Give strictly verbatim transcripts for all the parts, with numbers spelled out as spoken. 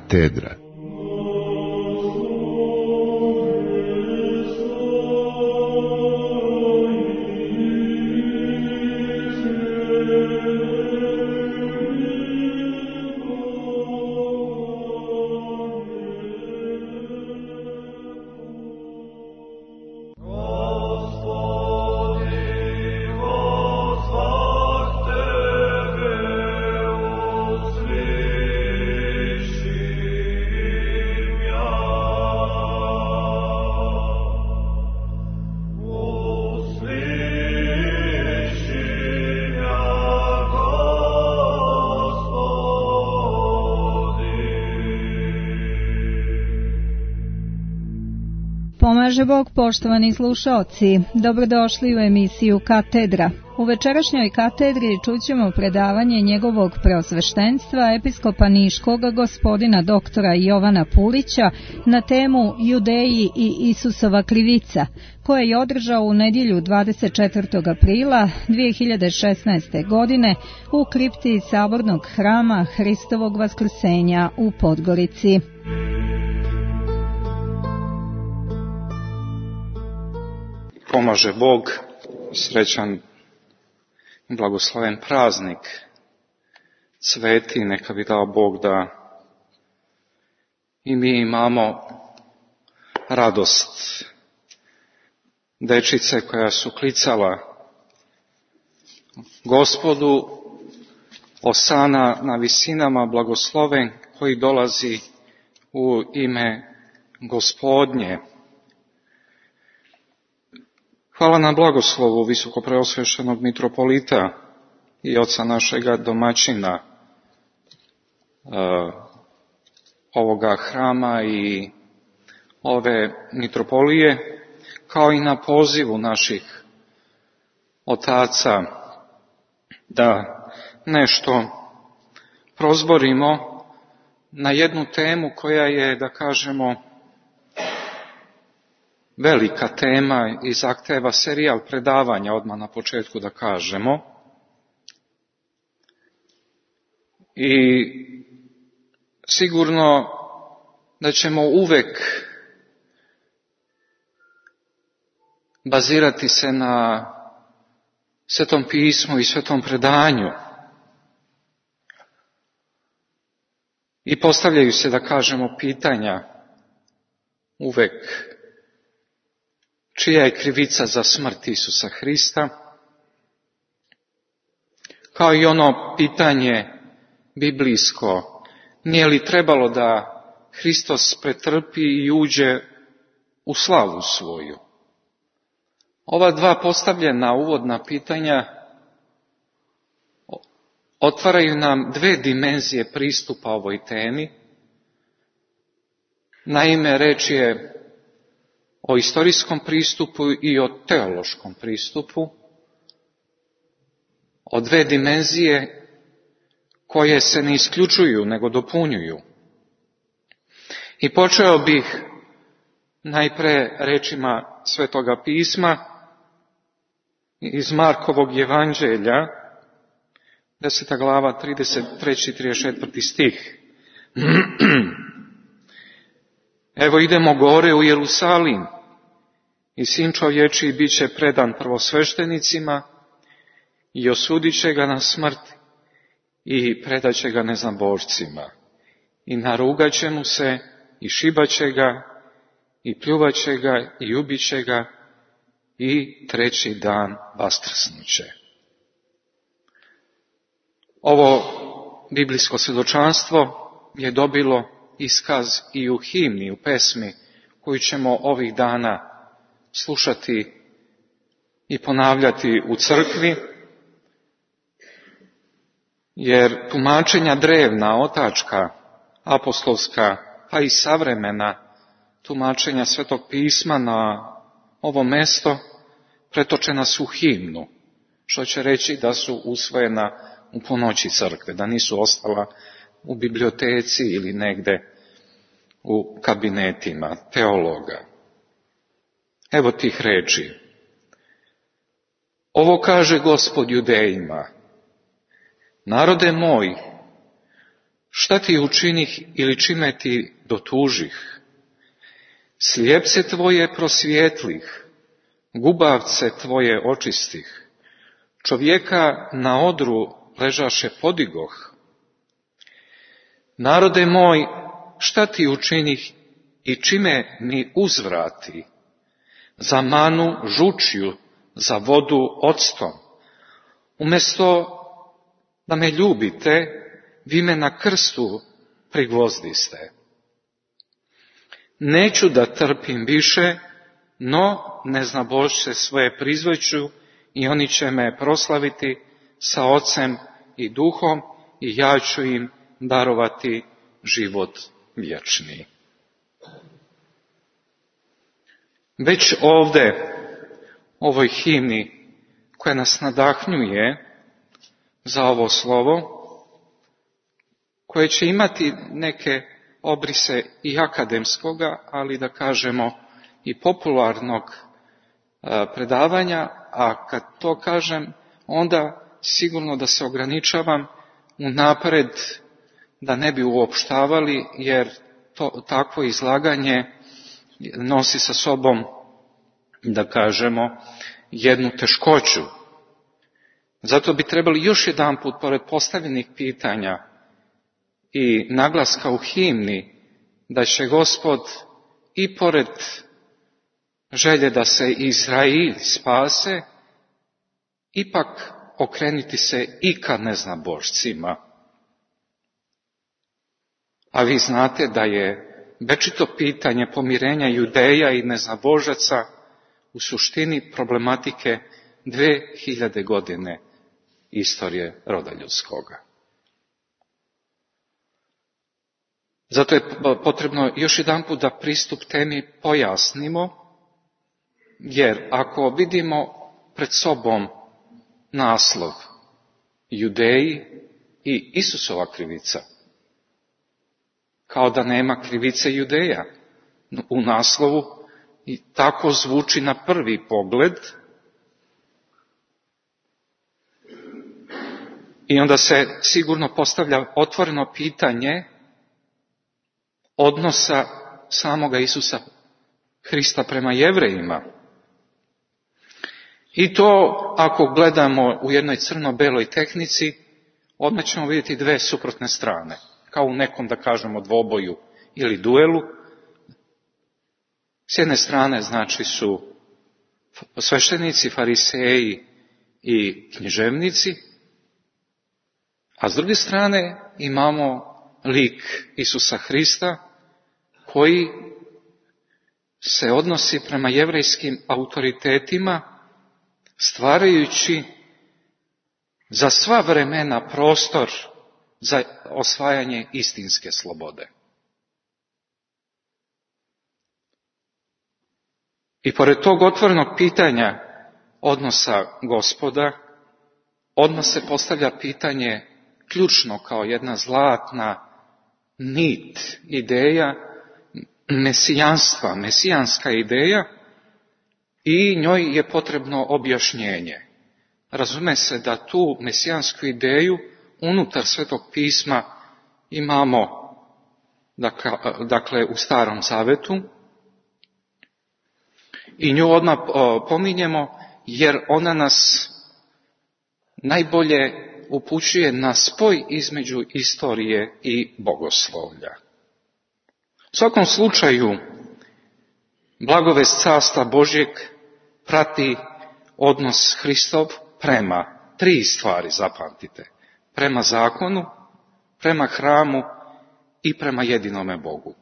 Katedra. Pomaže Bog, poštovani slušaoci, dobrodošli u emisiju Katedra. U večerašnjoj katedri čućemo predavanje njegovog preosveštenstva episkopa Niškog gospodina doktora Jovana Pulića na temu Judeji i Isusova krivica, koje je održao u nedjelju dvadeset četvrtog aprila dvije hiljade šesnaeste. godine u kripti Sabornog hrama Hristovog vaskrsenja u Podgorici. Pomaže Bog, srećan i blagosloven praznik, sveti, neka bi dao Bog da i mi imamo radost dečice koja su klicala Gospodu, osana na visinama, blagosloven koji dolazi u ime Gospodnje. Hvala na blagoslovu visokopreosveštenog mitropolita i oca našega domaćina uh, ovoga hrama i ove mitropolije, kao i na pozivu naših otaca da nešto prozborimo na jednu temu koja je, da kažemo, velika tema i zahteva serijal predavanja, odmah na početku da kažemo. I sigurno da ćemo uvek bazirati se na Svetom pismu i Svetom predanju. I postavljaju se, da kažemo, pitanja uvek: čija je krivica za smrt Isusa Hrista? Kao i ono pitanje biblijsko: nije li trebalo da Hristos pretrpi i uđe u slavu svoju? Ova dva postavljena uvodna pitanja otvaraju nam dve dimenzije pristupa ovoj temi. Naime, reč je o istorijskom pristupu i o teološkom pristupu, o dve dimenzije koje se ne isključuju, nego dopunjuju. I počeo bih najpre rečima Svetoga pisma iz Markovog evanđelja, deseta glava, trideset treći i trideset četvrti stih. Evo idemo gore u Jerusalim i sin čovječiji bit će predan prvosveštenicima i osudit će ga na smrt i predat će ga neznabošcima i narugat će mu se i šibat će ga i pljuvat će ga i ubit će ga i treći dan vaskrsnuće. Ovo biblijsko svjedočanstvo je dobilo iskaz i u himni, u pesmi koju ćemo ovih dana slušati i ponavljati u crkvi, jer tumačenja drevna, otačka, apostolska, pa i savremena tumačenja Svetog pisma na ovo mesto pretočena su u himnu, što će reći da su usvojena u ponoći crkve, da nisu ostala u biblioteci ili negde u kabinetima teologa. Evo tih reči. Ovo kaže Gospod Judejima: narode moj, šta ti učinih ili čime ti dotužih? Slijepce tvoje prosvjetlih, gubavce tvoje očistih, čovjeka na odru ležaše podigoh. Narode moj, šta ti učinih i čime mi uzvrati? Za manu žučju, za vodu octom. Umjesto da me ljubite, vi me na krstu prigvozdiste. Neću da trpim više, no neznabošće svoje prizvojću i oni će me proslaviti sa Ocem i Duhom i ja ću im darovati život vječni. Već ovdje, ovoj himni koja nas nadahnjuje za ovo slovo, koje će imati neke obrise i akademskoga, ali da kažemo i popularnog predavanja, a kad to kažem, onda sigurno da se ograničavam unapred da ne bi uopštavali, jer to, takvo izlaganje nosi sa sobom, da kažemo, jednu teškoću. Zato bi trebali još jedan put, pored postavljenih pitanja i naglaska u himni, da će Gospod i pored želje da se Izrael spase, ipak okrenuti se i ka neznabošcima. A vi znate da je večito pitanje pomirenja Judeja i neznabožaca u suštini problematike dve hiljade godine istorije roda ljudskoga. Zato je potrebno još jedanput da pristup temi pojasnimo, jer ako vidimo pred sobom naslov Judeji i Isusova krivica, kao da nema krivice Judeja u naslovu, i tako zvuči na prvi pogled, i onda se sigurno postavlja otvoreno pitanje odnosa samoga Isusa Hrista prema Jevrejima. I to, ako gledamo u jednoj crno-beloj tehnici, odmah ćemo vidjeti dve suprotne strane, kao u nekom, da kažemo, dvoboju ili duelu. S jedne strane, znači, su sveštenici, fariseji i književnici, a s druge strane imamo lik Isusa Hrista, koji se odnosi prema jevrejskim autoritetima, stvarajući za sva vremena prostor za osvajanje istinske slobode. I pored tog otvorenog pitanja odnosa Gospoda, odmah se postavlja pitanje ključno kao jedna zlatna nit, ideja mesijanstva, mesijanska ideja, i njoj je potrebno objašnjenje. Razume se da tu mesijansku ideju unutar Svetog pisma imamo, dakle, u Starom Zavetu, i nju odmah pominjemo jer ona nas najbolje upućuje na spoj između istorije i bogoslovlja. U svakom slučaju, blagovest Carstva Božjeg prati odnos Hristov prema tri stvari, zapamtite. Prema zakonu, prema hramu i prema jedinome Bogu.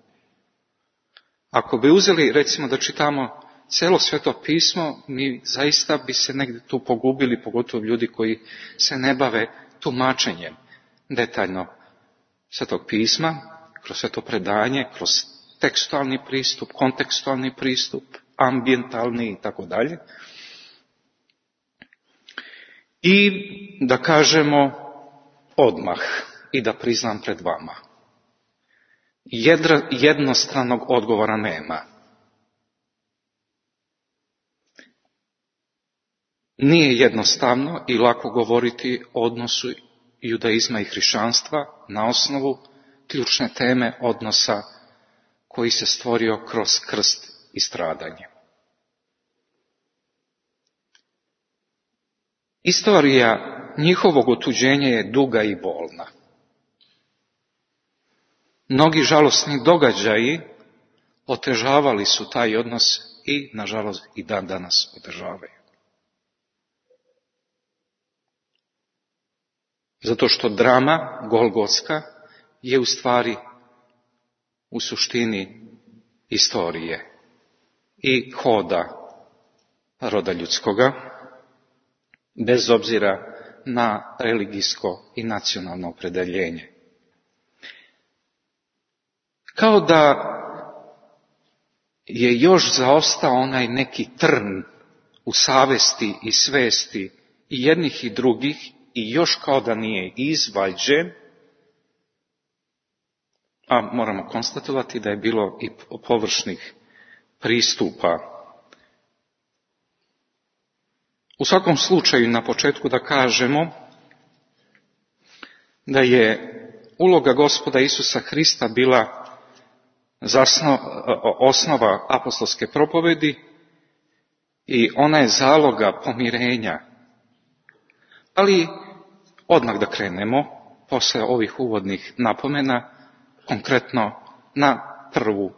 Ako bi uzeli, recimo, da čitamo cijelo Sveto pismo, mi zaista bi se negdje tu pogubili, pogotovo ljudi koji se ne bave tumačenjem detaljno Svetog pisma, kroz sveto predanje, kroz tekstualni pristup, kontekstualni pristup, ambientalni i tako dalje. I da kažemo odmah i da priznam pred vama, Jedra, jednostranog odgovora nema. Nije jednostavno i lako govoriti o odnosu judaizma i hrišćanstva na osnovu ključne teme odnosa koji se stvorio kroz krst i stradanje. Istorija njihovog otuđenja je duga i bolna. Mnogi žalosni događaji otežavali su taj odnos i, nažalost, i dan danas otežavaju. Zato što drama golgotska je u stvari u suštini istorije i hoda roda ljudskoga, bez obzira na religijsko i nacionalno opredjeljenje. Kao da je još zaostao onaj neki trn u savesti i svesti i jednih i drugih i još kao da nije izvađen, a moramo konstatovati da je bilo i površnih pristupa. U svakom slučaju na početku da kažemo da je uloga Gospoda Isusa Hrista bila zasno, osnova apostolske propovedi i ona je zaloga pomirenja. Ali odmah da krenemo, posle ovih uvodnih napomena, konkretno na prvu,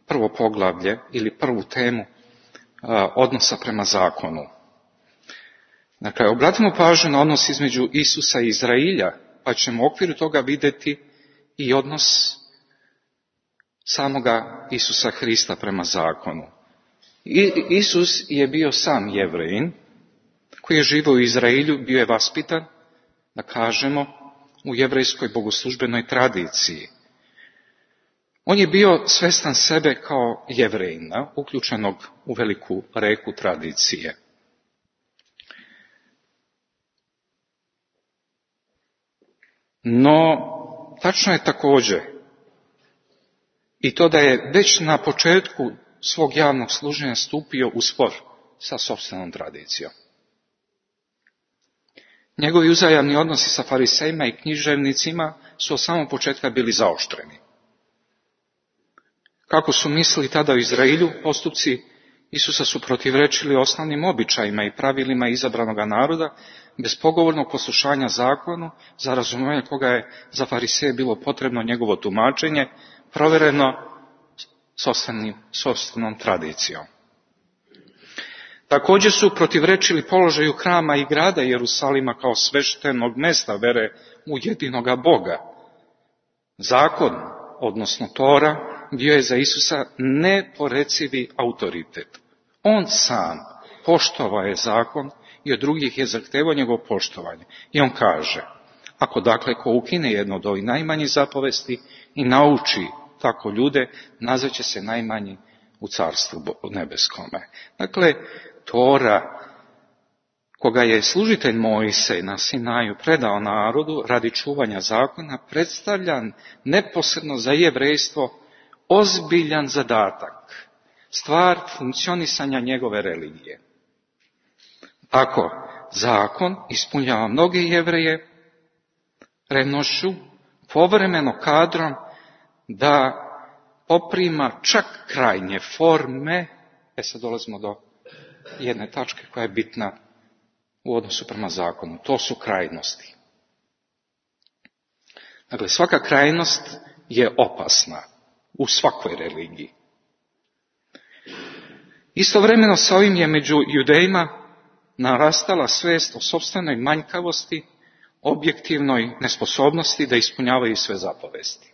prvo poglavlje ili prvu temu a, odnosa prema zakonu. Dakle, obratimo pažnju na odnos između Isusa i Izrailja, pa ćemo u okviru toga vidjeti i odnos samoga Isusa Hrista prema zakonu. I, Isus je bio sam Jevrejin, koji je živio u Izrailju, bio je vaspitan, da kažemo, u jevrejskoj bogoslužbenoj tradiciji. On je bio svestan sebe kao Jevrejina, uključenog u veliku reku tradicije. No, tačno je također i to da je već na početku svog javnog služenja stupio u spor sa sopstvenom tradicijom. Njegovi uzajamni odnosi sa farisejima i književnicima su od samog početka bili zaoštreni. Kako su mislili tada u Izrailju, postupci Isusa su protivrečili osnovnim običajima i pravilima izabranog naroda, bez pogovornog poslušanja zakonu, za razumijevanje koga je za fariseje bilo potrebno njegovo tumačenje, provjereno sopstvenom tradicijom. Također su protivrečili položaju hrama i grada Jerusalima kao sveštenog mesta vere u jedinoga Boga. Zakon, odnosno Tora, bio je za Isusa neporecivi autoritet. On sam poštovao je zakon i od drugih je zahtevao njegovo poštovanje. I on kaže, ako dakle ko ukine jedno od ovih najmanjih zapovesti i nauči tako ljude, nazvaće se najmanji u carstvu nebeskome. Dakle, Tora, koga je služitelj Mojsej na Sinaju predao narodu radi čuvanja zakona, predstavlja neposredno za jevrejstvo ozbiljan zadatak, stvar funkcionisanja njegove religije. Ako zakon ispunjava mnoge Jevreje revnošću, povremeno kadrom da poprima čak krajnje forme, e sad dolazimo do jedne tačke koja je bitna u odnosu prema zakonu, to su krajnosti. Dakle, svaka krajnost je opasna u svakoj religiji. Istovremeno sa ovim je među judejima narastala svest o sopstvenoj manjkavosti, objektivnoj nesposobnosti da ispunjavaju sve zapovesti.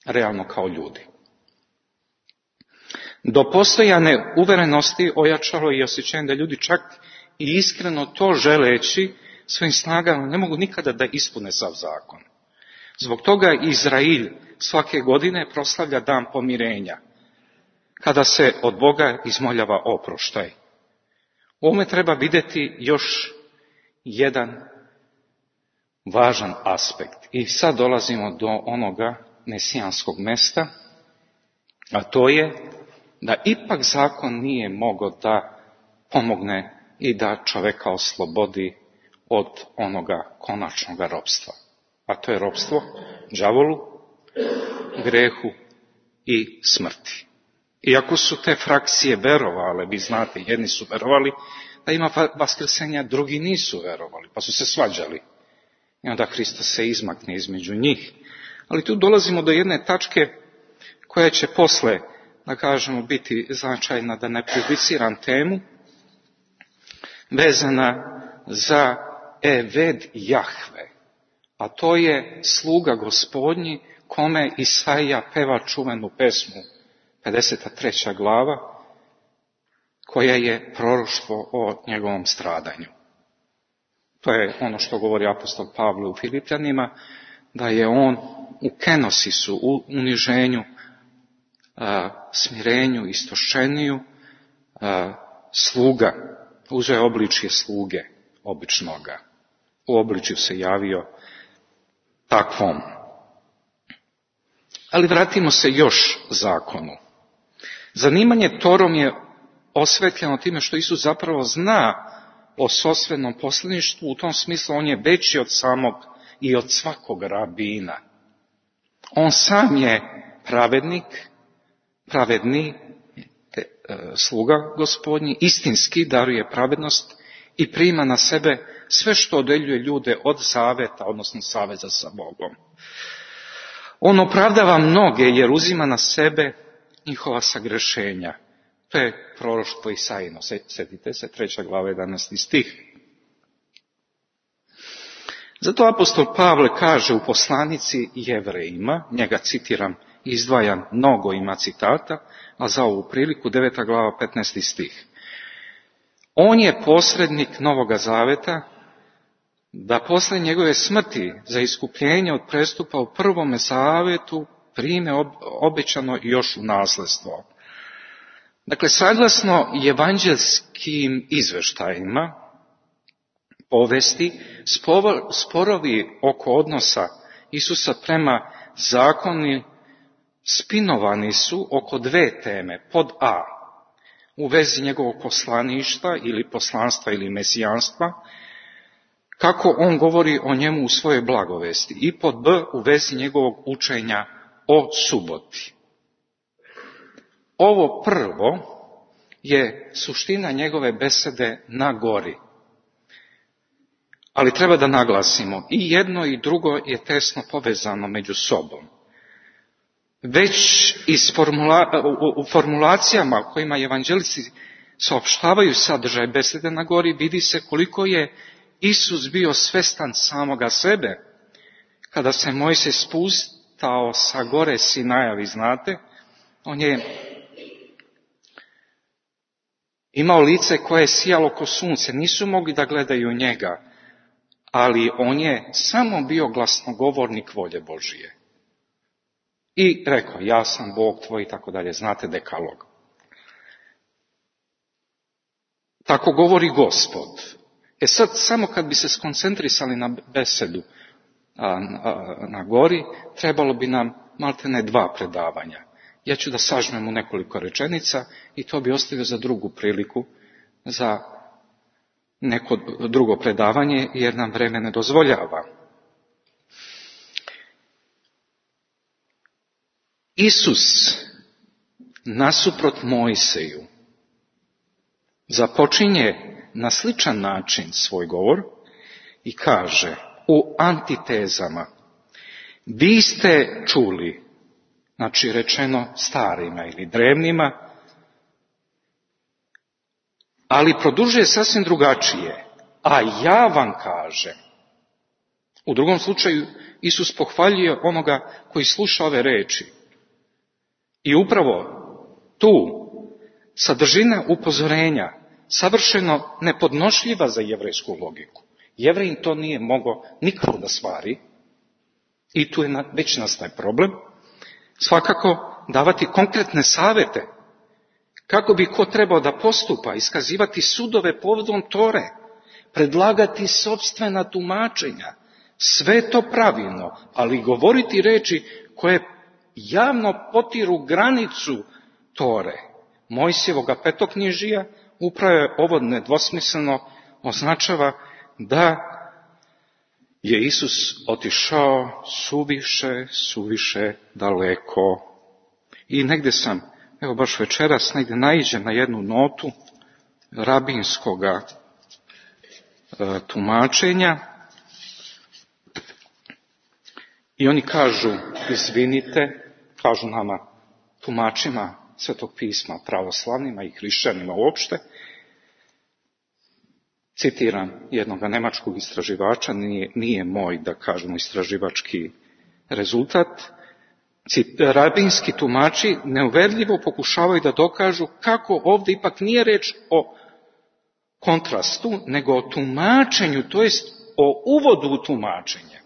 Realno kao ljudi. Do postojane uverenosti ojačalo i osjećanje da ljudi čak i iskreno to želeći svojim snagama ne mogu nikada da ispune sav zakon. Zbog toga Izrail svake godine proslavlja dan pomirenja, kada se od Boga izmoljava oproštaj. U ovome treba vidjeti još jedan važan aspekt. I sad dolazimo do onoga mesijanskog mesta, a to je da ipak zakon nije mogao da pomogne i da čoveka oslobodi od onoga konačnog ropstva. A to je ropstvo đavolu grehu i smrti. Iako su te frakcije verovale, vi znate, jedni su verovali da ima vaskrsenja, drugi nisu verovali, pa su se svađali. I onda Hristos se izmakne između njih. Ali tu dolazimo do jedne tačke koja će posle, da kažemo, biti značajna, da ne prejudiciram temu, vezana za Eved Jahve, a to je sluga Gospodnji kome Isaija peva čuvenu pesmu, pedeset treća glava, koja je proroštvo o njegovom stradanju. To je ono što govori apostol Pavle u Filipljanima, da je on u kenosisu, u uniženju, a, smirenju, istošeniju, a, sluga, uzeo je obličje sluge običnoga. U obličju se javio takvom. Ali vratimo se još zakonu. Zanimanje Torom je osvetljeno time što Isus zapravo zna o sosvednom poslaništvu, u tom smislu on je veći od samog i od svakog rabina. On sam je pravednik, pravedni te, e, sluga Gospodnji, istinski daruje pravednost i prima na sebe sve što odeljuje ljude od zaveta, odnosno saveza sa Bogom. On opravdava mnoge jer uzima na sebe njihova sagrešenja. To je proroštvo Isaijino, sjetite se, treća glava, jedanaesti stih. Zato apostol Pavle kaže u poslanici Jevrejima, njega citiram, izdvajam, mnogo ima citata, a za ovu priliku deveta glava, petnaesti stih. On je posrednik Novoga zaveta, da posle njegove smrti za iskupljenje od prestupa u prvome zavetu prime obećano još u nasljedstvo. Dakle, saglasno evanđelskim izveštajima, povesti, sporovi oko odnosa Isusa prema zakoni spinovani su oko dve teme. Pod A, u vezi njegovog poslaništva ili poslanstva ili mesijanstva, kako on govori o njemu u svojoj blagovesti. I pod B, u vezi njegovog učenja o suboti. Ovo prvo je suština njegove besede na gori. Ali treba da naglasimo, i jedno i drugo je tesno povezano među sobom. Već iz formula, u, u formulacijama kojima evanđelisti saopštavaju sadržaj besede na gori, vidi se koliko je Isus bio svestan samoga sebe. Kada se Mojsije spustao sa gore Sinaja, vi znate, on je imao lice koje je sijalo ko sunce, nisu mogli da gledaju njega, ali on je samo bio glasnogovornik volje Božije. I rekao, ja sam Bog tvoj i tako dalje, znate dekalog. Tako govori Gospod. E sad, samo kad bi se skoncentrisali na besedu a, a, na gori, trebalo bi nam maltene dva predavanja. Ja ću da sažmem u nekoliko rečenica i to bi ostavio za drugu priliku, za neko drugo predavanje, jer nam vreme ne dozvoljava. Isus, nasuprot Mojsiju, započinje na sličan način svoj govor i kaže u antitezama, vi ste čuli, znači rečeno starima ili drevnima, ali produžuje sasvim drugačije, a ja vam kažem. U drugom slučaju Isus pohvaljuje onoga koji sluša ove reči. I upravo tu sadržina upozorenja savršeno nepodnošljiva za jevrejsku logiku. Jevrejin to nije mogao nikako da stvari i tu je već nastaje problem. Svakako davati konkretne savete kako bi ko trebao da postupa, iskazivati sudove povodom Tore, predlagati sopstvena tumačenja, sve to pravilno, ali govoriti reči koje javno potiru granicu Tore, Mojsijevoga petoknjižija, upravo je ovo nedvosmisleno označava da je Isus otišao suviše, suviše daleko. I negdje sam, evo baš večeras, negdje naiđem na jednu notu rabinskoga e, tumačenja i oni kažu, izvinite, kažu nama tumačima Svetog pisma, pravoslavnima i hrišćanima uopšte, citiram jednog nemačkog istraživača, nije, nije moj, da kažemo, istraživački rezultat, rabinski tumači neuverljivo pokušavaju da dokažu kako ovdje ipak nije reč o kontrastu, nego o tumačenju, to jest o uvodu u tumačenje.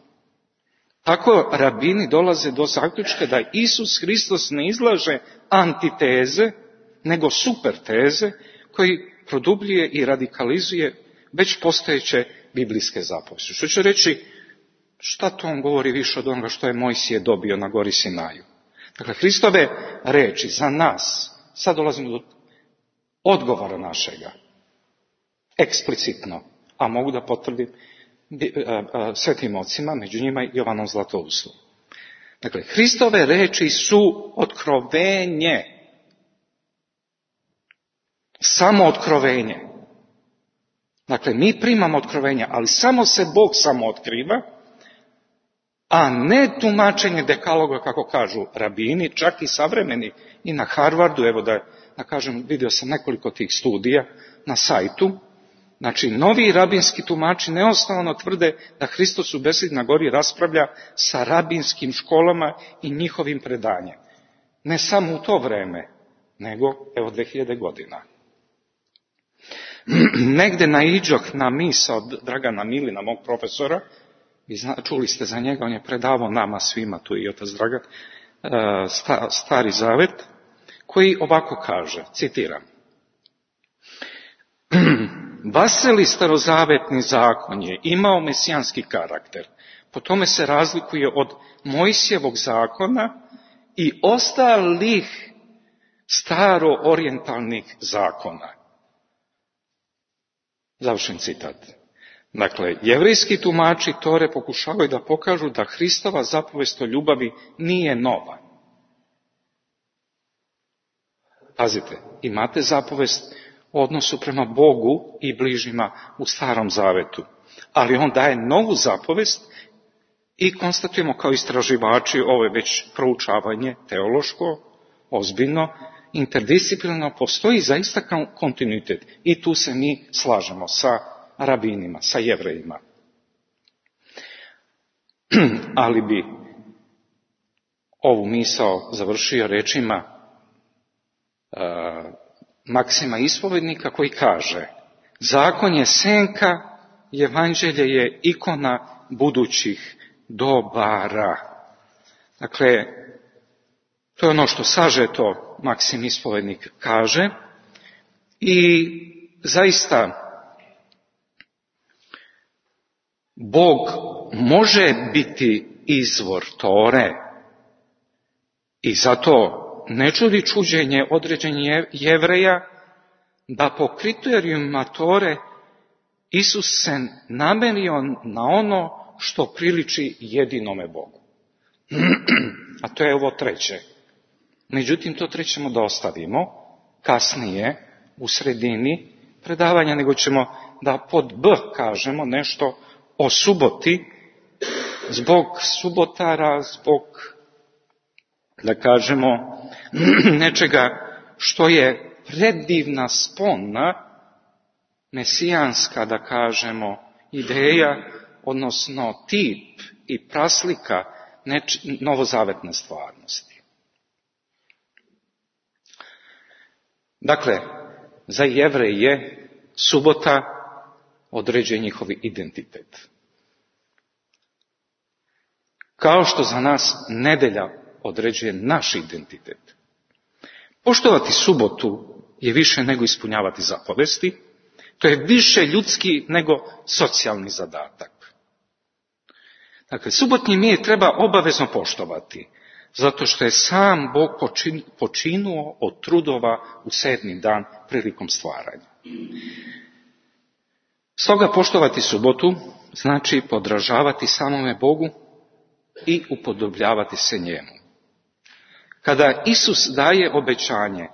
Tako rabini dolaze do zaključka da Isus Hristos ne izlaže antiteze, nego superteze koji produbljuje i radikalizuje već postojeće biblijske zapovesti. Što će reći, šta to on govori više od onoga što je Mojsije dobio na gori Sinaju? Dakle, Hristove reči za nas, sad dolazimo do odgovora našega, eksplicitno, a mogu da potvrdim svetim ocima, među njima i Jovanom Zlatoustom. Dakle, Hristove reči su otkrovenje. Samo otkrovenje. Dakle, mi primamo otkrovenja, ali samo se Bog samo otkriva, a ne tumačenje dekaloga, kako kažu rabini, čak i savremeni, i na Harvardu, evo da, da kažem, vidio sam nekoliko tih studija na sajtu. Znači, novi rabinski tumači neosnovano tvrde da Hristos u besedi na gori raspravlja sa rabinskim školama i njihovim predanjem. Ne samo u to vreme, nego evo dve hiljade godina. Negde naiđoh na misao Dragana Milina, mog profesora, vi zna, čuli ste za njega, on je predavao nama svima, tu i otac Dragan, sta, Stari Zavet, koji ovako kaže, citiram, Vaseli starozavetni zakon je imao mesijanski karakter, po tome se razlikuje od Mojsijevog zakona i ostalih staro-orijentalnih zakona. Završen citat. Dakle, jevrijski tumači Tore pokušavaju da pokažu da Hristova zapovest o ljubavi nije nova. Pazite, imate zapovest u odnosu prema Bogu i bližnjima u Starom Zavetu, ali on daje novu zapovest i konstatujemo kao istraživači, ovo je već proučavanje teološko, ozbiljno, interdisciplinarno, postoji zaista kontinuitet i tu se mi slažemo sa rabinima, sa jevrejima. Ali bi ovu misao završio rečima uh, Maksima ispovednika koji kaže, zakon je senka, evanđelje je ikona budućih dobara. Dakle, to je ono što sažeto Maksim ispovednik kaže i zaista Bog može biti izvor Tore i zato ne čudi čuđenje određenih Jevreja da po kriterijumima Tore Isus se namerio na ono što priliči jedinome Bogu. A to je ovo treće. Međutim, to trećemo da ostavimo kasnije u sredini predavanja, nego ćemo da pod B kažemo nešto o suboti, zbog subotara, zbog, da kažemo, nečega što je predivna spona, mesijanska, da kažemo, ideja, odnosno tip i praslika neč, novozavetne stvarnosti. Dakle, za Jevreje subota određuje njihov identitet. Kao što za nas nedelja određuje naš identitet. Poštovati subotu je više nego ispunjavati zapovesti, to je više ljudski nego socijalni zadatak. Dakle, subotnji mir treba obavezno poštovati, zato što je sam Bog počin, počinuo od trudova u sedmi dan prilikom stvaranja. Stoga poštovati subotu znači podražavati samome Bogu i upodobljavati se njemu. Kada Isus daje obećanje,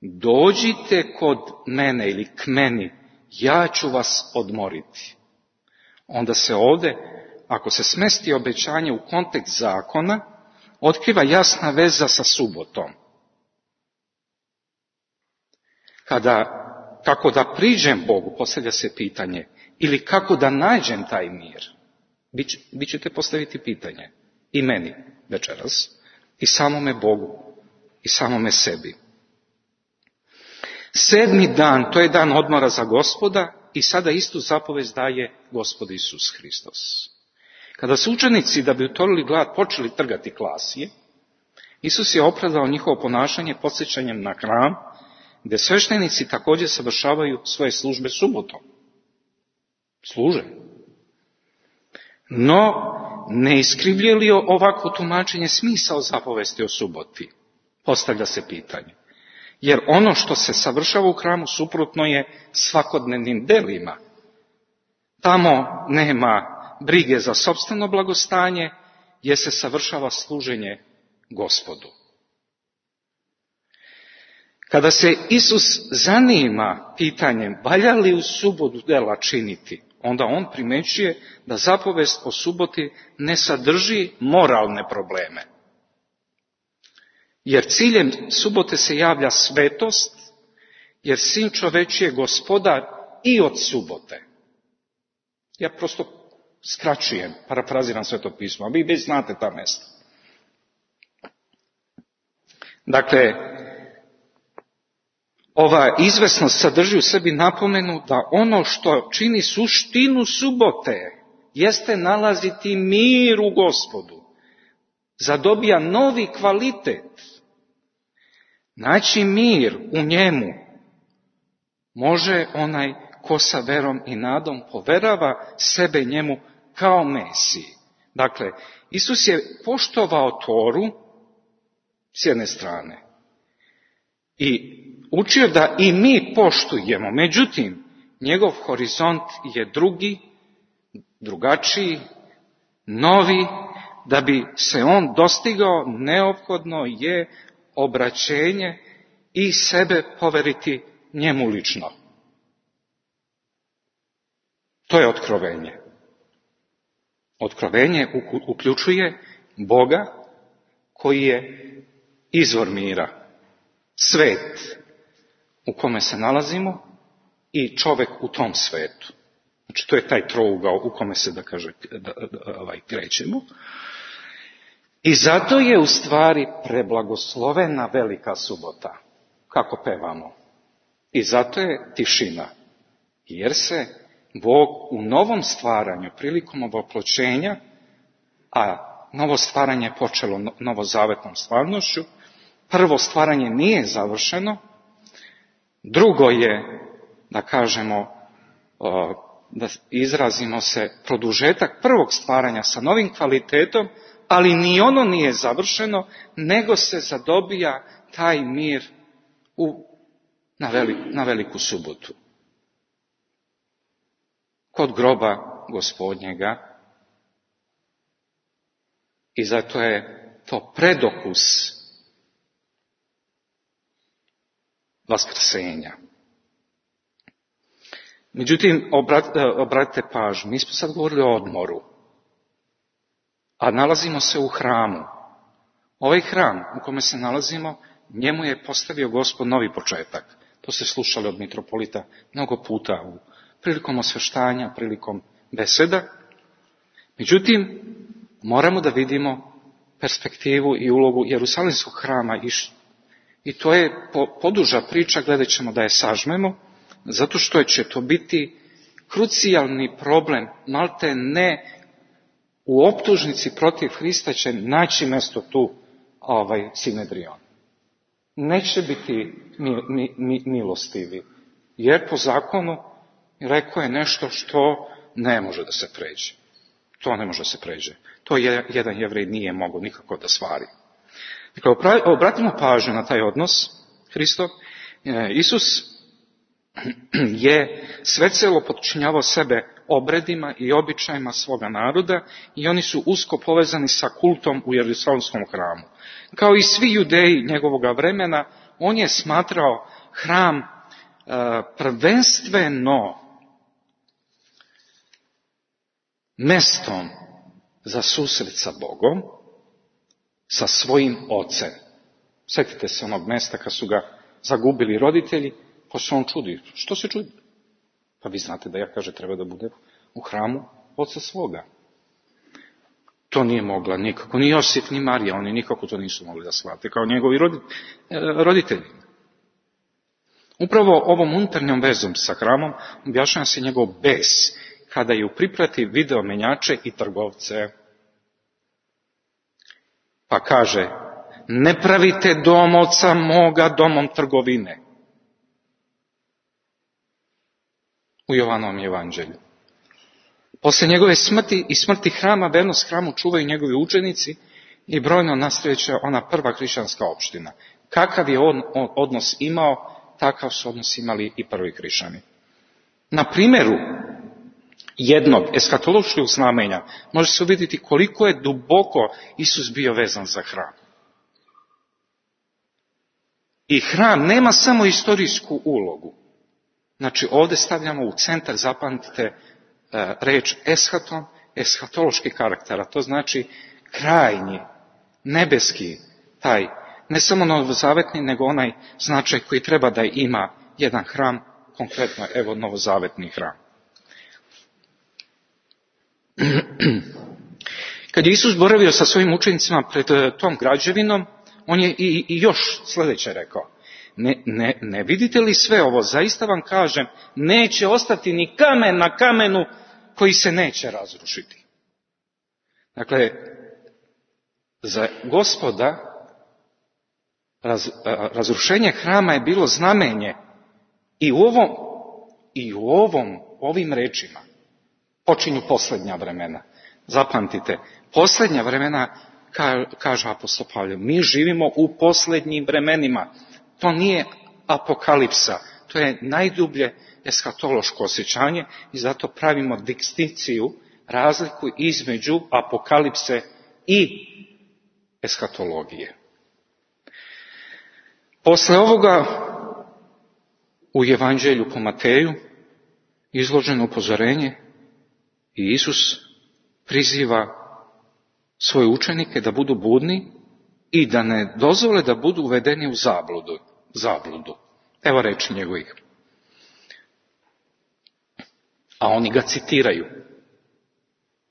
dođite kod mene ili k meni, ja ću vas odmoriti. Onda se ovdje, ako se smesti obećanje u kontekst zakona, otkriva jasna veza sa subotom. Kada, kako da priđem Bogu, postavlja se pitanje, ili kako da nađem taj mir. Vi ćete postaviti pitanje i meni večeras, i samome Bogu, i samome sebi. Sedmi dan, to je dan odmora za Gospoda i sada istu zapovest daje Gospod Isus Hristos. Kada su učenici, da bi utolili glad, počeli trgati klasije, Isus je opravdao njihovo ponašanje podsjećanjem na hram, gdje sveštenici također savršavaju svoje službe subotom. Služe. No, ne iskrivljuje li ovako tumačenje smisao zapovesti o suboti? Postavlja se pitanje. Jer ono što se savršava u hramu suprotno je svakodnevnim delima. Tamo nema brige za sopstveno blagostanje, jer se savršava služenje Gospodu. Kada se Isus zanima pitanjem valja li u subotu dela činiti, onda on primećuje da zapovest o suboti ne sadrži moralne probleme. Jer ciljem subote se javlja svetost, jer Sin čovečji je gospodar i od subote. Ja prosto skraćujem, parafraziram Sveto pismo, a vi već znate ta mjesta. Dakle, ova izvesnost sadrži u sebi napomenu da ono što čini suštinu subote jeste nalaziti mir u Gospodu. Zadobija novi kvalitet. Naći mir u njemu može onaj ko sa verom i nadom poverava sebe njemu kao Mesiji. Dakle, Isus je poštovao Toru s jedne strane i učio da i mi poštujemo, međutim, njegov horizont je drugi, drugačiji, novi, da bi se on dostigao, neophodno je obraćenje i sebe poveriti njemu lično. To je otkrovenje. Otkrovenje uključuje Boga koji je izvor mira, svet u kome se nalazimo i čovjek u tom svetu. Znači, to je taj trougao u kome se, da kaže, da, da, ovaj, krećemo. I zato je u stvari preblagoslovena velika subota, kako pevamo. I zato je tišina, jer se Bog u novom stvaranju, prilikom ovoploćenja, a novo stvaranje je počelo novozavetnom stvarnošću, prvo stvaranje nije završeno, drugo je, da kažemo, da izrazimo se, produžetak prvog stvaranja sa novim kvalitetom, ali ni ono nije završeno, nego se zadobija taj mir u, na, veliku, na veliku subotu. Kod groba Gospodnjega. I zato je to predokus vaskrsenja. Međutim, obratite pažnju, mi smo sad govorili o odmoru, a nalazimo se u hramu. Ovaj hram u kome se nalazimo, njemu je postavio Gospod novi početak. To ste slušali od mitropolita mnogo puta u prilikom osveštanja, prilikom beseda. Međutim, moramo da vidimo perspektivu i ulogu Jerusalimskog hrama i to je poduža priča, gledat ćemo da je sažmemo, zato što će to biti krucijalni problem, malte ne u optužnici protiv Hrista će naći mjesto tu ovaj Sinedrion. Neće biti mi, mi, mi, milostivi, jer po zakonu rekao je nešto što ne može da se pređe. To ne može da se pređe. To je, jedan Jevrej nije mogao nikako da stvari. Dakle, obratimo pažnju na taj odnos Hristov. Isus je sve celo potčinjavao sebe obredima i običajima svoga naroda i oni su usko povezani sa kultom u Jerusalimskom hramu. Kao i svi Judeji njegovoga vremena, on je smatrao hram uh, prvenstveno mestom za susret sa Bogom, sa svojim ocem. Sjetite se onog mesta kad su ga zagubili roditelji, pa se on čudi. Što se čudi? Pa vi znate da ja, kaže, treba da bude u hramu oca svoga. To nije mogla nikako, ni Josip, ni Marija, oni nikako to nisu mogli da shvate, kao njegovi roditelji. Upravo ovom unutarnjom vezom sa hramom objašnjava se njegov bes, kada je u priprati video menjače i trgovce. Pa kaže, ne pravite dom oca moga domom trgovine. U Jovanovom evanđelju. Posle njegove smrti i smrti hrama, vernost hramu čuvaju njegovi učenici i brojno nastajeća ona prva hrišćanska opština. Kakav je on odnos imao, takav su odnos imali i prvi hrišćani. Na primjeru jednog eskatološkog znamenja može se vidjeti koliko je duboko Isus bio vezan za hram. I hram nema samo istorijsku ulogu. Znači ovdje stavljamo u centar, zapamtite, reč eshaton, eshatološki karakter, a to znači krajnji, nebeski, taj, ne samo novozavetni, nego onaj značaj koji treba da ima jedan hram, konkretno evo novozavetni hram. Kad je Isus boravio sa svojim učenicima pred tom građevinom, on je i, i još sljedeće rekao. Ne, ne, ne vidite li sve ovo? Zaista vam kažem, neće ostati ni kamen na kamenu koji se neće razrušiti. Dakle, za Gospoda raz, razrušenje hrama je bilo znamenje i u ovom, i u ovom, ovim rečima počinju posljednja vremena. Zapamtite, posljednja vremena, ka, kaže apostol Pavle, mi živimo u posljednjim vremenima. To nije apokalipsa, to je najdublje eskatološko osjećanje i zato pravimo distinkciju, razliku između apokalipse i eskatologije. Posle ovoga u Evanđelju po Mateju izloženo upozorenje i Isus priziva svoje učenike da budu budni i da ne dozvole da budu uvedeni u zabludu. zabludu. Evo reči njegovih. A oni ga citiraju.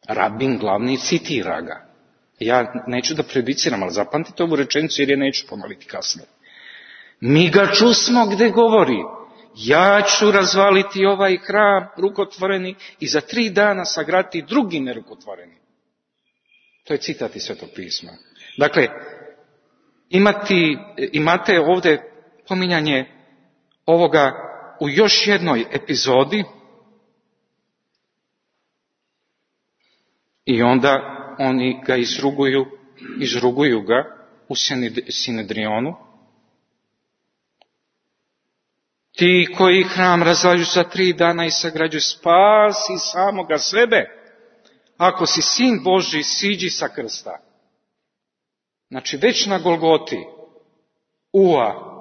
Rabin glavni citira ga. Ja neću da prejudiciram, ali zapamtite ovu rečenicu jer je neću ponoviti kasnije. Mi ga čusmo gde govori. Ja ću razvaliti ovaj hram rukotvoreni i za tri dana sagraditi drugi nerukotvoreni. To je citat iz Svetog pisma. Dakle, imati, imate ovdje pominjanje ovoga u još jednoj epizodi i onda oni ga izruguju, izruguju ga u Sinedrionu. Ti koji hram razvaljuju za tri dana i sagrađuju, spasi samoga sebe. Ako si sin Božji, siđi sa krsta. Znači već na Golgoti, ua.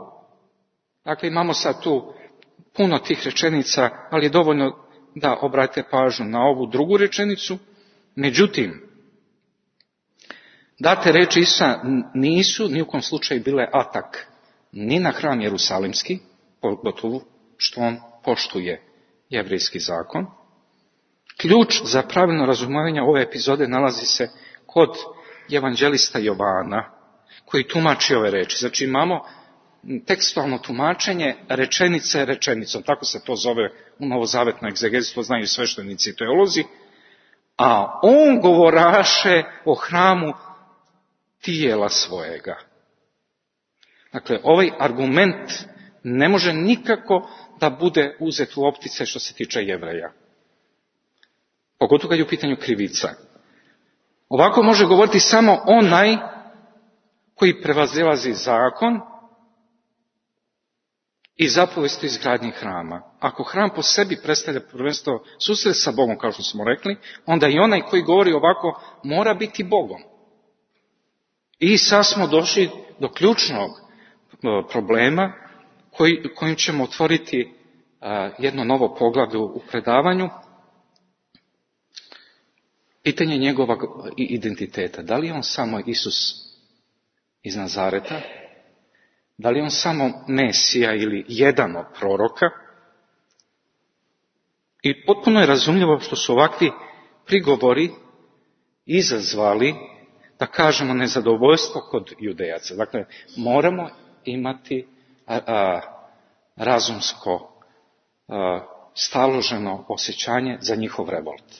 Dakle, imamo sad tu puno tih rečenica, ali je dovoljno da obratite pažnju na ovu drugu rečenicu. Međutim, date reči Isusa nisu ni u kom slučaju bile atak ni na hram Jerusalimski, pogotovo što on poštuje jevrejski zakon. Ključ za pravilno razumijevanje ove epizode nalazi se kod evanđelista Jovana, koji tumači ove reči. Znači imamo tekstualno tumačenje rečenice rečenicom, tako se to zove u novozavetnoj egzegezi, to znaju sveštenici i teolozi, a on govoraše o hramu tijela svojega. Dakle, ovaj argument ne može nikako da bude uzet u optice što se tiče Jevreja. Pogotovo kad je u pitanju krivica. Ovako može govoriti samo onaj koji prevazilazi zakon i zapovesti izgradnje hrama. Ako hram po sebi predstavlja prvenstvo susret sa Bogom, kao što smo rekli, onda i onaj koji govori ovako mora biti Bogom. I sad smo došli do ključnog problema koji, kojim ćemo otvoriti a, jedno novo poglavlje u predavanju. Pitanje njegovog identiteta. Da li je on samo Isus iz Nazareta? Da li je on samo Mesija ili jedan od proroka? I potpuno je razumljivo što su ovakvi prigovori izazvali, da kažemo, nezadovoljstvo kod Judejaca. Dakle, moramo imati a, a, razumsko, a, staloženo osjećanje za njihov revolt.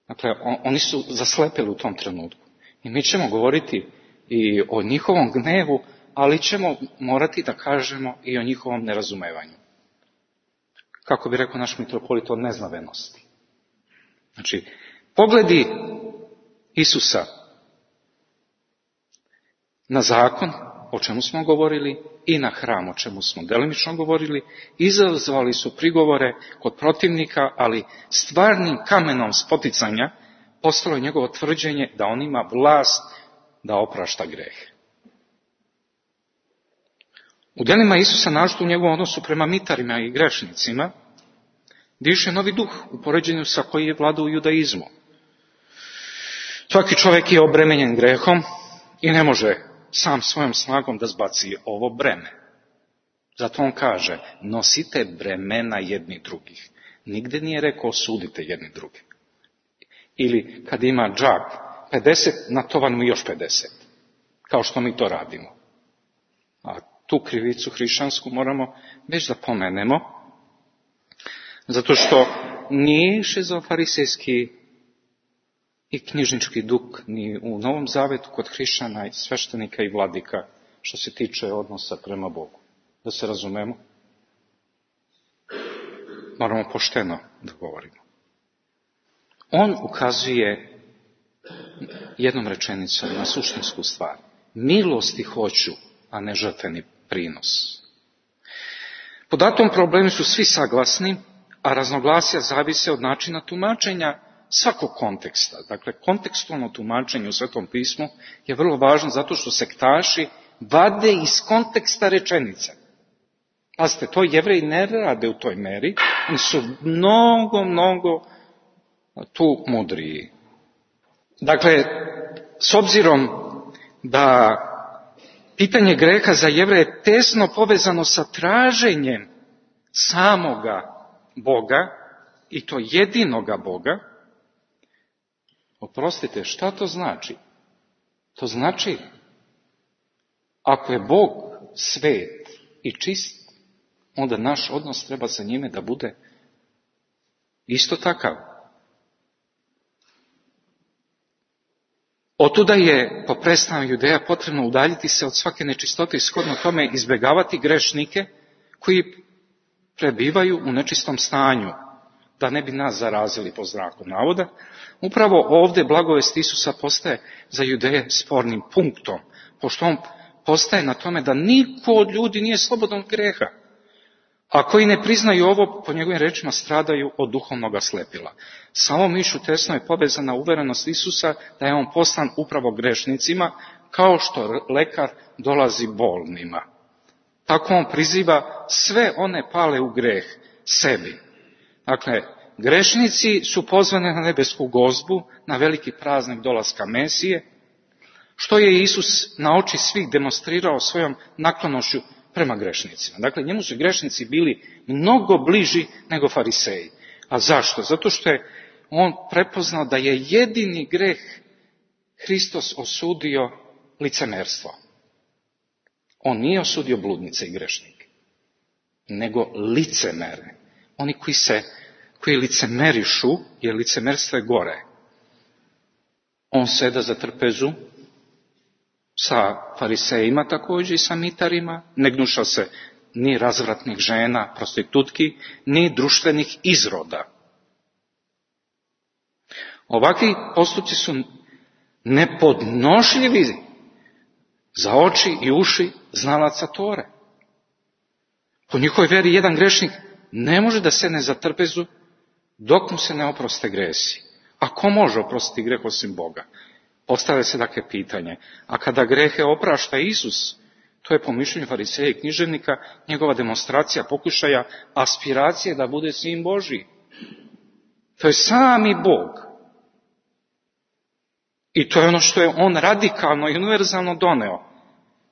Dakle, on, oni su zaslepili u tom trenutku. I mi ćemo govoriti i o njihovom gnevu, ali ćemo morati da kažemo i o njihovom nerazumevanju. Kako bi rekao naš mitropolit, o neznavenosti. Znači, pogledi Isusa na zakon, o čemu smo govorili, i na hram, o čemu smo delimično govorili, izazvali su prigovore kod protivnika, ali stvarnim kamenom spoticanja postalo je njegovo tvrđenje da on ima vlast da oprašta greh. U djelima Isusa, naročito u njegovom odnosu prema mitarima i grešnicima, diše novi duh u poređenju sa koji je vladao u judaizmu. Svaki čovjek je obremenjen grehom i ne može sam svojom snagom da zbaci ovo breme. Zato on kaže, nosite bremena jedni drugih. Nigde nije rekao osudite jedni drugi. Ili kad ima džak pedeset, natovan mu još pedeset. Kao što mi to radimo. A tu krivicu hrišćansku moramo već da pomenemo, zato što nije šizofarisejski i knjižnički duh ni u Novom Zavetu kod hrišćana i sveštenika i vladika što se tiče odnosa prema Bogu. Da se razumemo, moramo pošteno da govorimo. On ukazuje jednom rečenicom na suštinsku stvar. Milosti hoću, a ne žrtveni prinos. Po datom problemu su svi saglasni, a raznovlasja zavise od načina tumačenja svakog konteksta. Dakle, kontekstualno tumačenje u Svetom pismu je vrlo važno zato što sektaši vade iz konteksta rečenice. Pazite, to Jevreji ne rade u toj meri, oni su mnogo, mnogo tu mudriji. Dakle, s obzirom da pitanje greha za Jevreje je tesno povezano sa traženjem samoga Boga, i to jedinoga Boga, oprostite, šta to znači? To znači, ako je Bog svet i čist, onda naš odnos treba sa njime da bude isto takav. Otuda je po predstavu Judeja potrebno udaljiti se od svake nečistote i shodno tome izbjegavati grešnike koji prebivaju u nečistom stanju, da ne bi nas zarazili po znaku navoda. Upravo ovdje blagovest Isusa postaje za Judeje spornim punktom, pošto on postaje na tome da niko od ljudi nije slobodan od greha. A koji ne priznaju ovo, po njegovim rečima, stradaju od duhovnog slepila. Samo mišu tesno je povezana uverenost Isusa da je on poslan upravo grešnicima, kao što lekar dolazi bolnima. Tako on priziva sve one pale u greh sebi. Dakle, grešnici su pozvani na nebesku gozbu, na veliki praznik dolaska Mesije, što je Isus na oči svih demonstrirao svojom naklonošću prema grešnicima. Dakle, njemu su grešnici bili mnogo bliži nego fariseji. A zašto? Zato što je on prepoznao da je jedini greh Hristos osudio licemerstvo. On nije osudio bludnice i grešnike, nego licemere. Oni koji se, koji licemerišu, jer licemerstvo je gore. On seda za trpezu sa farisejima također i sa mitarima, ne gnuša se ni razvratnih žena, prostitutki, ni društvenih izroda. Ovakvi postupci su nepodnošljivi za oči i uši znalaca Tore. Po njihovoj vjeri jedan grešnik ne može da sedne za trpezu dok mu se ne oproste gresi. A ko može oprostiti greh osim Boga? Postavlja se dakle pitanje. A kada grehe oprašta Isus, to je po mišljenju fariseja i književnika njegova demonstracija, pokušaja, aspiracije da bude sin Božji. To je sami Bog. I to je ono što je on radikalno i univerzalno doneo.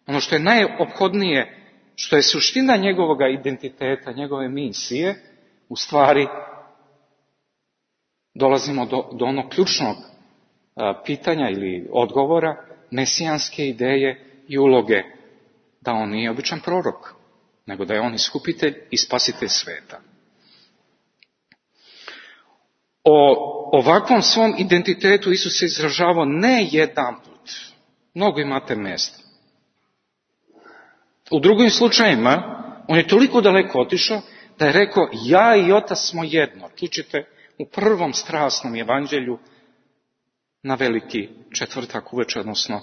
Ono što je najophodnije, što je suština njegovog identiteta, njegove misije, u stvari dolazimo do, do onog ključnog a, pitanja ili odgovora, mesijanske ideje i uloge, da on nije običan prorok, nego da je on iskupitelj i spasitelj sveta. O ovakvom svom identitetu Isus se izražavao ne jedan put. Mnogo imate mjesta. U drugim slučajima, on je toliko daleko otišao da je rekao, ja i Otac smo jedno. Čućete u prvom strasnom evanđelju na veliki četvrtak uveče, odnosno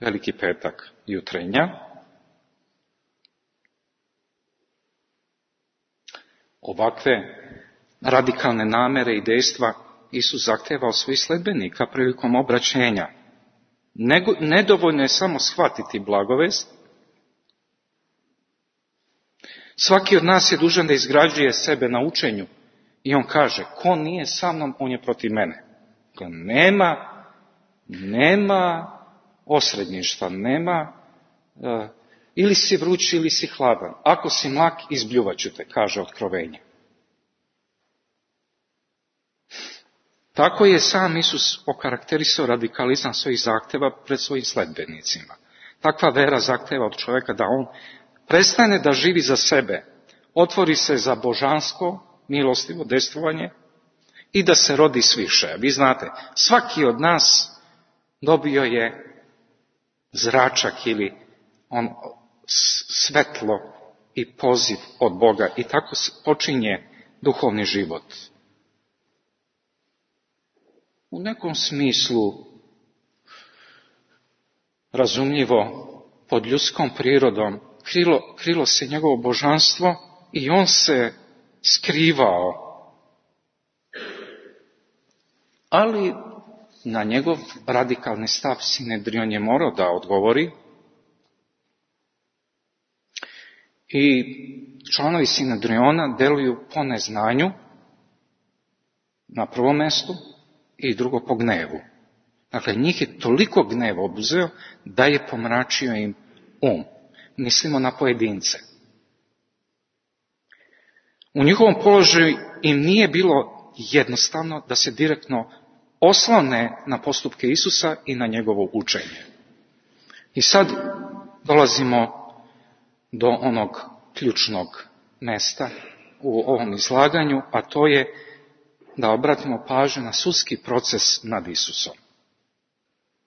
veliki petak jutrenja. Ovakve radikalne namere i dejstva Isus zahteva od svojih sledbenika prilikom obraćenja. Nedovoljno je samo shvatiti blagovest. Svaki od nas je dužan da izgrađuje sebe na učenju i on kaže, ko nije sa mnom, on je protiv mene. Dakle, nema, nema osrednjištva, nema uh, ili si vruć ili si hladan. Ako si mlak, izbljuvat ću te, kaže Otkrovenje. Tako je sam Isus okarakterisao radikalizam svojih zahtjeva pred svojim sledbenicima. Takva vera zahtjeva od čovjeka da on prestane da živi za sebe, otvori se za božansko, milostivo dejstvovanje i da se rodi sviše. Vi znate, svaki od nas dobio je zračak ili on svetlo i poziv od Boga i tako počinje duhovni život. U nekom smislu razumljivo pod ljudskom prirodom krilo, krilo se njegovo božanstvo i on se skrivao. Ali na njegov radikalni stav Sinedrion je morao da odgovori i članovi Sinedriona deluju po neznanju na prvom mjestu i drugo po gnevu. Dakle, njih je toliko gneva obuzeo da je pomračio im um. Mislimo na pojedince. U njihovom položaju im nije bilo jednostavno da se direktno oslone na postupke Isusa i na njegovo učenje. I sad dolazimo do onog ključnog mjesta u ovom izlaganju, a to je da obratimo pažnju na sudski proces nad Isusom.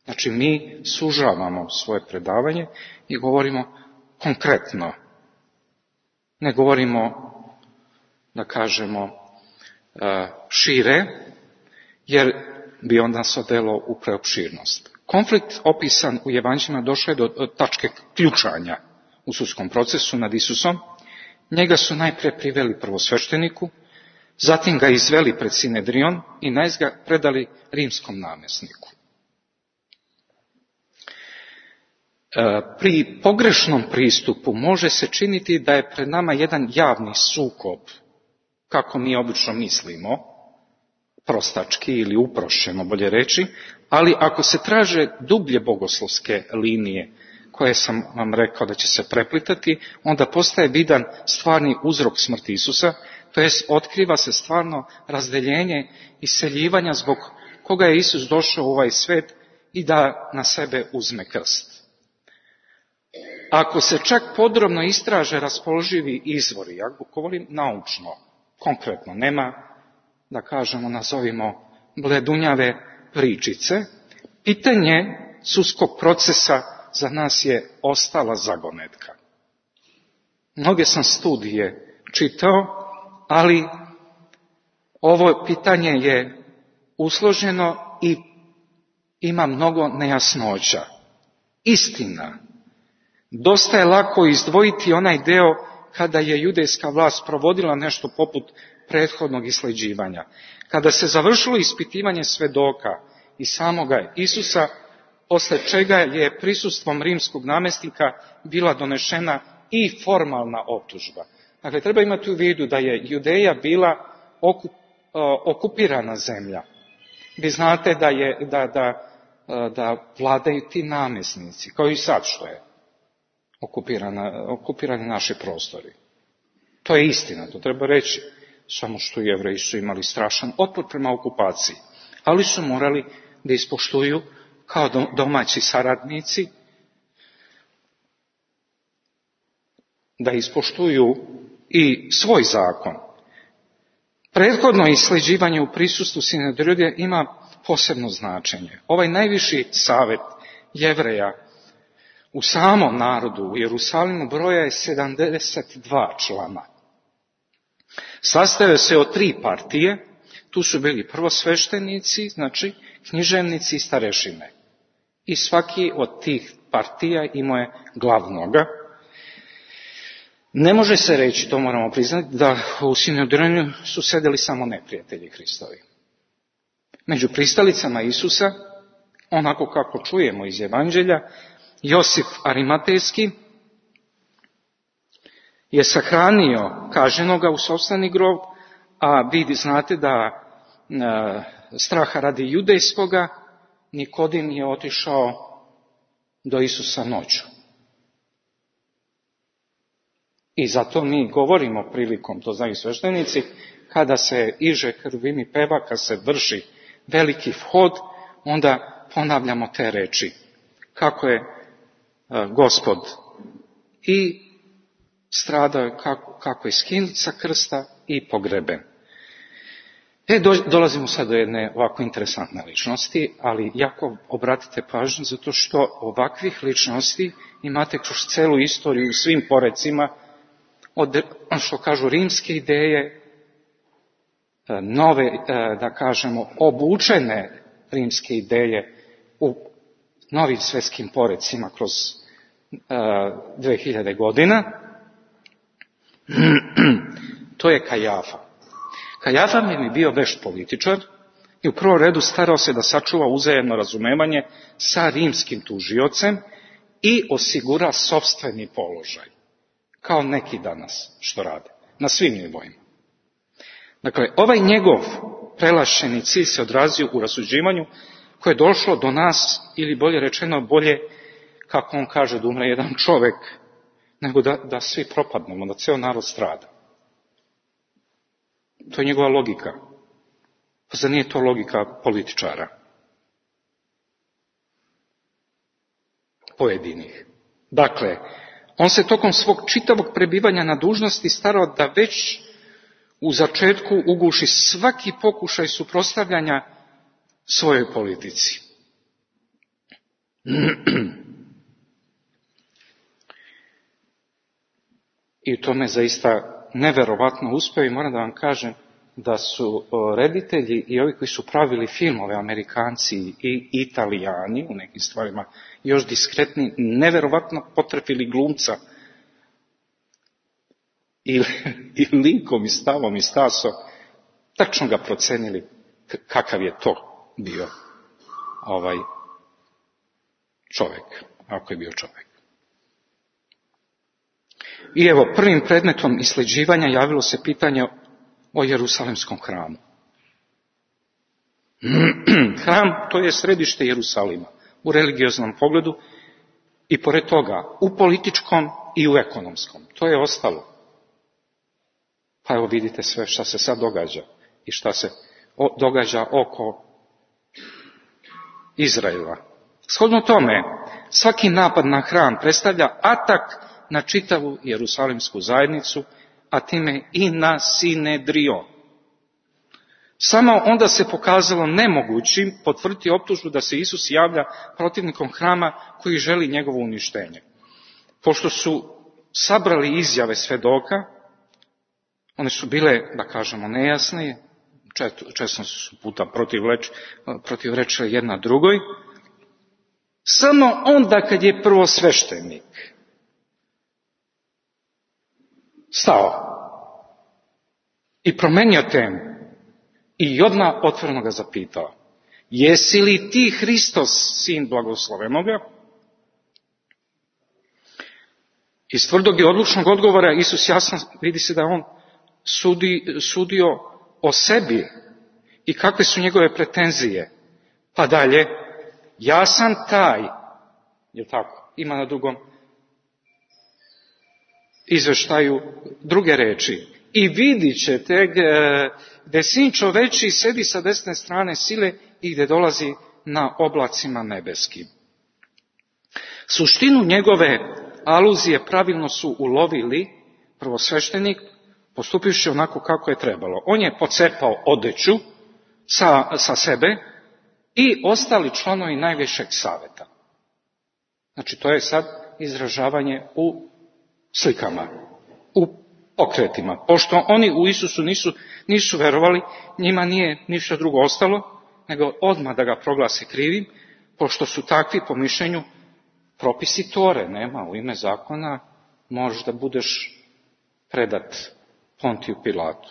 Znači, mi sužavamo svoje predavanje i govorimo konkretno. Ne govorimo, da kažemo, šire, jer bi onda se odelo u preopširnost. Konflikt opisan u Evanđeljima došao je do tačke ključanja u sudskom procesu nad Isusom. Njega su najprije priveli prvosvešteniku, zatim ga izveli pred Sinedrion i najzad ga predali rimskom namjesniku. Pri pogrešnom pristupu može se činiti da je pred nama jedan javni sukob, kako mi obično mislimo, prostački ili uprošćeno bolje reći, ali ako se traže dublje bogoslovske linije, koje sam vam rekao da će se preplitati, onda postaje vidan stvarni uzrok smrti Isusa, to jest otkriva se stvarno razdeljenje i seljivanja zbog koga je Isus došao u ovaj svet i da na sebe uzme krst. Ako se čak podrobno istraže raspoloživi izvori, ja govorim naučno, konkretno, nema, da kažemo, nazovimo bledunjave pričice, pitanje sudskog procesa za nas je ostala zagonetka. Mnoge sam studije čitao, ali ovo pitanje je usloženo i ima mnogo nejasnoća. Istina, dosta je lako izdvojiti onaj deo kada je judejska vlast provodila nešto poput prethodnog isleđivanja. Kada se završilo ispitivanje svedoka i samoga Isusa, posle čega je prisustvom rimskog namjesnika bila donešena i formalna optužba. Dakle, treba imati u vidu da je Judeja bila okup, okupirana zemlja. Vi znate da, je, da, da, da vladaju ti namjesnici, kao i sad što je okupirana, okupirani naši prostori. To je istina, to treba reći. Samo što Jevreji su imali strašan otpor prema okupaciji, ali su morali da ispoštuju kao domaći saradnici, da ispoštuju i svoj zakon. Prethodno isleđivanje u prisustvu Sinedrija ima posebno značenje. Ovaj najviši savjet Jevreja u samom narodu u Jerusalimu broja je sedamdeset dva člana. Sastavio se od tri partije, tu su bili prvosveštenici, znači književnici i starešine. I svaki od tih partija imao je glavnoga. Ne može se reći, to moramo priznati, da u Sinedriju su sedeli samo neprijatelji Hristovi. Među pristalicama Isusa, onako kako čujemo iz Evanđelja, Josif Arimatejski je sahranio kažnjenoga u sopstveni grob, a vi znate da e, straha radi judejskoga Nikodim je otišao do Isusa noću. I zato mi govorimo prilikom, to znaju sveštenici, kada se iže krvim i peva, kad se vrši veliki vhod, onda ponavljamo te reči. Kako je e, Gospod i stradao je, kako, kako je skinut sa krsta i pogreben. E, do, dolazimo sad do jedne ovako interesantne ličnosti, ali jako obratite pažnju zato što ovakvih ličnosti imate kroz celu istoriju u svim porecima, od, što kažu, rimske ideje, nove, da kažemo, obučene rimske ideje u novim svjetskim porecima kroz dve hiljade godina. To je Kajafa. Kajafa mi bio vešt političar i u prvom redu starao se da sačuva uzajamno razumevanje sa rimskim tužiocem i osigura sopstveni položaj. Kao neki danas što rade, na svim nivoima. Dakle, ovaj njegov prelašeni cilj se odrazio u rasuđivanju koje je došlo do nas, ili bolje rečeno bolje, kako on kaže, da umre jedan čovjek, nego da, da svi propadnemo, da ceo narod strada. To je njegova logika. Pa zar nije to logika političara? Pojedinih. Dakle, on se tokom svog čitavog prebivanja na dužnosti starao da već u začetku uguši svaki pokušaj suprotstavljanja svojoj politici. I to me zaista neverovatno uspeo i moram da vam kažem da su reditelji i ovi koji su pravili filmove, Amerikanci i Italijani, u nekim stvarima još diskretni, neverovatno potrefili glumca i, i likom i stavom i stasom, tačno ga procenili kakav je to bio ovaj čovjek, ako je bio čovjek. I evo, prvim predmetom isleđivanja javilo se pitanje o Jerusalimskom hramu. Hram, to je središte Jerusalima u religioznom pogledu i pored toga u političkom i u ekonomskom. To je ostalo. Pa evo vidite sve šta se sad događa i šta se događa oko Izraela. Shodno tome, svaki napad na hram predstavlja atak na čitavu Jerusalimsku zajednicu, a time i na Sinedrion. Samo onda se pokazalo nemogućim potvrditi optužbu da se Isus javlja protivnikom hrama koji želi njegovo uništenje. Pošto su sabrali izjave svedoka, one su bile, da kažemo, nejasne, često su puta protivreč, protivrečile jedna drugoj, samo onda kad je prvosveštenik stao i promenio temu i odmah otvoreno ga zapitao: jesi li ti Hristos, sin blagoslovenoga? Iz tvrdog i odlučnog odgovora Isus jasno vidi se da on sudi, sudio o sebi i kakve su njegove pretenzije. Pa dalje, ja sam taj, je tako, ima na drugom izveštaju druge reči. I vidit ćete gdje sin čoveči sedi sa desne strane sile i gdje dolazi na oblacima nebeskim. Suštinu njegove aluzije pravilno su ulovili prvosveštenik, postupivši onako kako je trebalo. On je pocepao odeću sa, sa sebe i ostali članovi najvišeg saveta. Znači, to je sad izražavanje u slikama, u pokretima. Pošto oni u Isusu nisu, nisu verovali, njima nije ništa drugo ostalo, nego odmah da ga proglase krivim, pošto su takvi po mišljenju propisi Tore. Nema, u ime zakona možeš da budeš predat Pontiju Pilatu.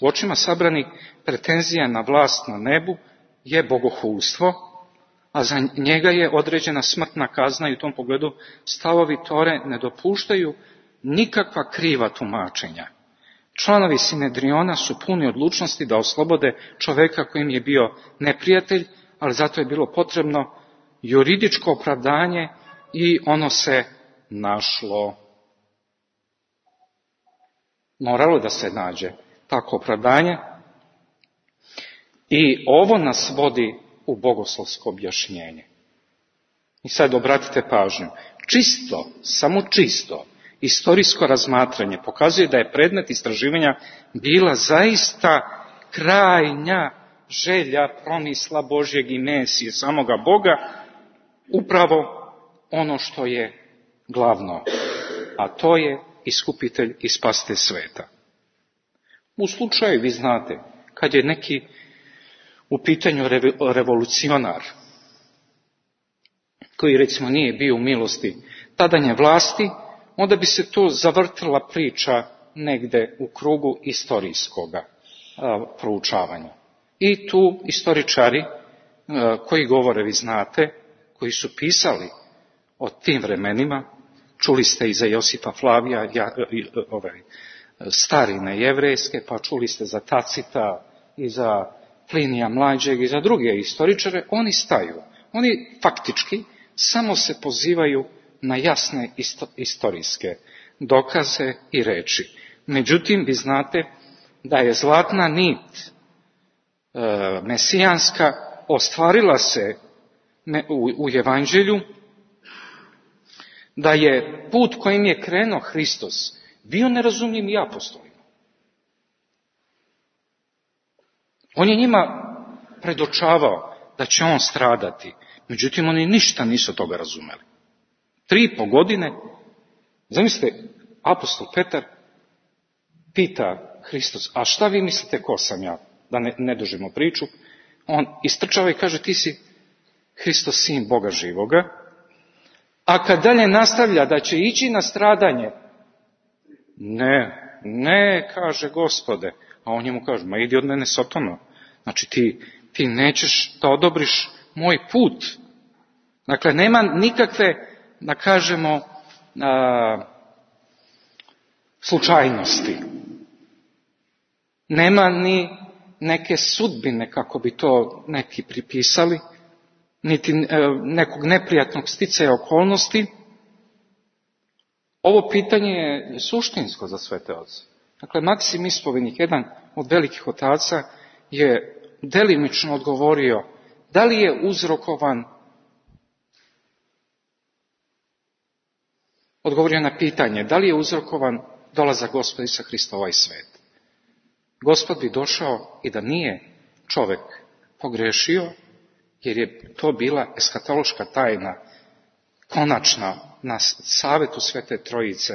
U očima sabranih pretenzija na vlast na nebu je bogohulstvo, a za njega je određena smrtna kazna i u tom pogledu stavovi Tore ne dopuštaju nikakva kriva tumačenja. Članovi Sinedriona su puni odlučnosti da oslobode čoveka kojim je bio neprijatelj, ali zato je bilo potrebno juridičko opravdanje i ono se našlo. Moralo da se nađe tako opravdanje i ovo nas vodi u bogoslovsko objašnjenje. I sad obratite pažnju. Čisto, samo čisto, istorijsko razmatranje pokazuje da je predmet istraživanja bila zaista krajnja želja promisla Božjeg i Mesije, samoga Boga, upravo ono što je glavno, a to je iskupitelj i spasitelj sveta. U slučaju, vi znate, kad je neki u pitanju revolucionar, koji recimo nije bio u milosti tadanje vlasti, onda bi se to zavrtila priča negde u krugu istorijskoga a, proučavanja. I tu istoričari a, koji govore, vi znate, koji su pisali o tim vremenima, čuli ste i za Josipa Flavija, ja, ovaj, starine jevrejske, pa čuli ste za Tacita i za Plinija mlađeg i za druge istoričare, oni staju. Oni faktički samo se pozivaju na jasne isto, istorijske dokaze i reči. Međutim, vi znate da je zlatna nit e, mesijanska ostvarila se u, u evanđelju, da je put kojim je krenuo Hristos bio nerazumljiv i apostolima. On je njima predočavao da će on stradati, međutim oni ništa nisu toga razumeli. Tri i po godine, zamislite, apostol Petar pita Hristos, a šta vi mislite ko sam ja, da ne, ne dužimo priču, on istrčava i kaže, ti si Hristos, sin Boga živoga, a kad dalje nastavlja da će ići na stradanje, ne, ne, kaže Gospode, a on njemu kaže, ma idi od mene Sotona, znači ti, ti nećeš da odobriš moj put. Dakle, nema nikakve, da kažemo, a, slučajnosti. Nema ni neke sudbine, kako bi to neki pripisali, niti nekog neprijatnog sticaja okolnosti. Ovo pitanje je suštinsko za sve te oce. Dakle, Maksim Ispovednik, jedan od velikih otaca, je delimično odgovorio da li je uzrokovan, odgovorio na pitanje, da li je uzrokovan dolazak Gospoda Isusa Hrista u ovaj svet. Gospod bi došao i da nije čovek pogrešio, jer je to bila eskatološka tajna, konačna, na savetu Svete Trojice.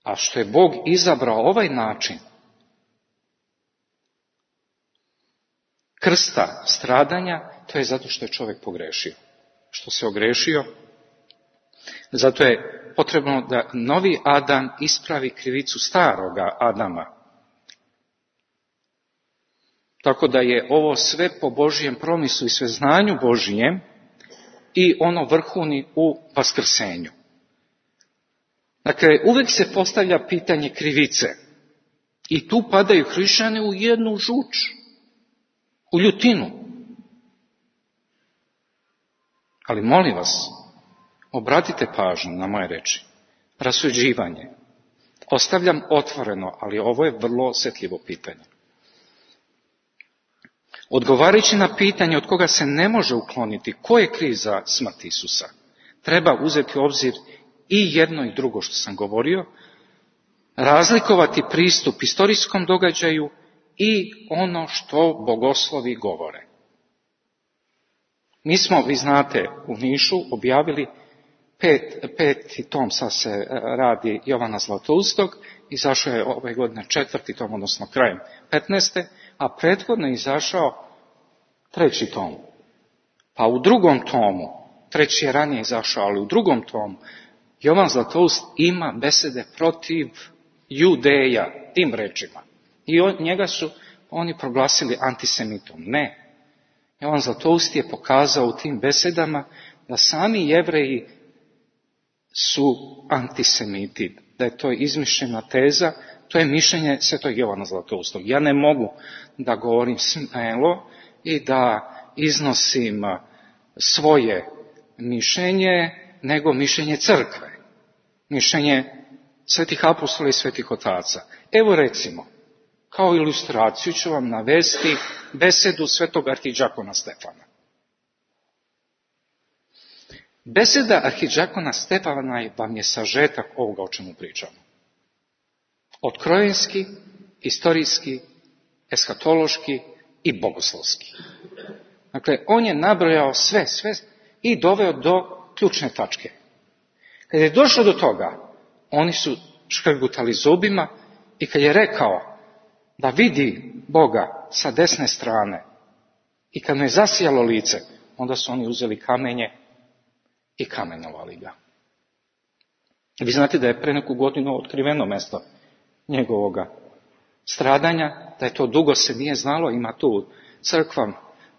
A što je Bog izabrao ovaj način krsta, stradanja, to je zato što je čovjek pogrešio. Što se ogrešio, Zato je potrebno da novi Adam ispravi krivicu staroga Adama. Tako da je ovo sve po Božijem promislu i sveznanju Božijem i ono vrhuni u vaskrsenju. Dakle, uvijek se postavlja pitanje krivice. I tu padaju hrišćani u jednu žuč, u ljutinu. Ali molim vas, obratite pažnju na moje reči. Rasuđivanje. Ostavljam otvoreno, ali ovo je vrlo osjetljivo pitanje. Odgovarajući na pitanje od koga se ne može ukloniti ko je kriv za smrt Isusa, treba uzeti u obzir i jedno i drugo što sam govorio, razlikovati pristup istorijskom događaju i ono što bogoslovi govore. Mi smo, vi znate, u Nišu objavili pet, peti tom, sad se radi Jovana Zlatoustog, izašao je ove godine četvrti tom, odnosno krajem petnaeste, a prethodno je izašao treći tom. Pa u drugom tomu, treći je ranije izašao, ali u drugom tomu, Jovan Zlatoust ima besede protiv Judeja, tim rečima. I od njega su oni proglasili antisemitom. Ne. Jovan Zlatoust je pokazao u tim besedama da sami Jevreji su antisemiti, da je to izmišljena teza, to je mišljenje svetog Jovana Zlatoustog. Ja ne mogu da govorim smelo i da iznosim svoje mišljenje, nego mišljenje crkve, mišljenje svetih apostola i svetih otaca. Evo recimo, kao ilustraciju ću vam navesti besedu svetog arhidžakona Stefana. Beseda arhidžakona Stefana vam je sažetak ovoga o čemu pričamo. Otkrojenski, istorijski, eskatološki i bogoslovski. Dakle, on je nabrojao sve, sve i doveo do ključne tačke. Kad je došlo do toga, oni su škrgutali zubima i kad je rekao da vidi Boga sa desne strane i kad mu je zasijalo lice, onda su oni uzeli kamenje i kamenovali ga. Vi znate da je pre neku godinu otkriveno mesto njegovoga stradanja, da je to dugo se nije znalo, ima tu crkva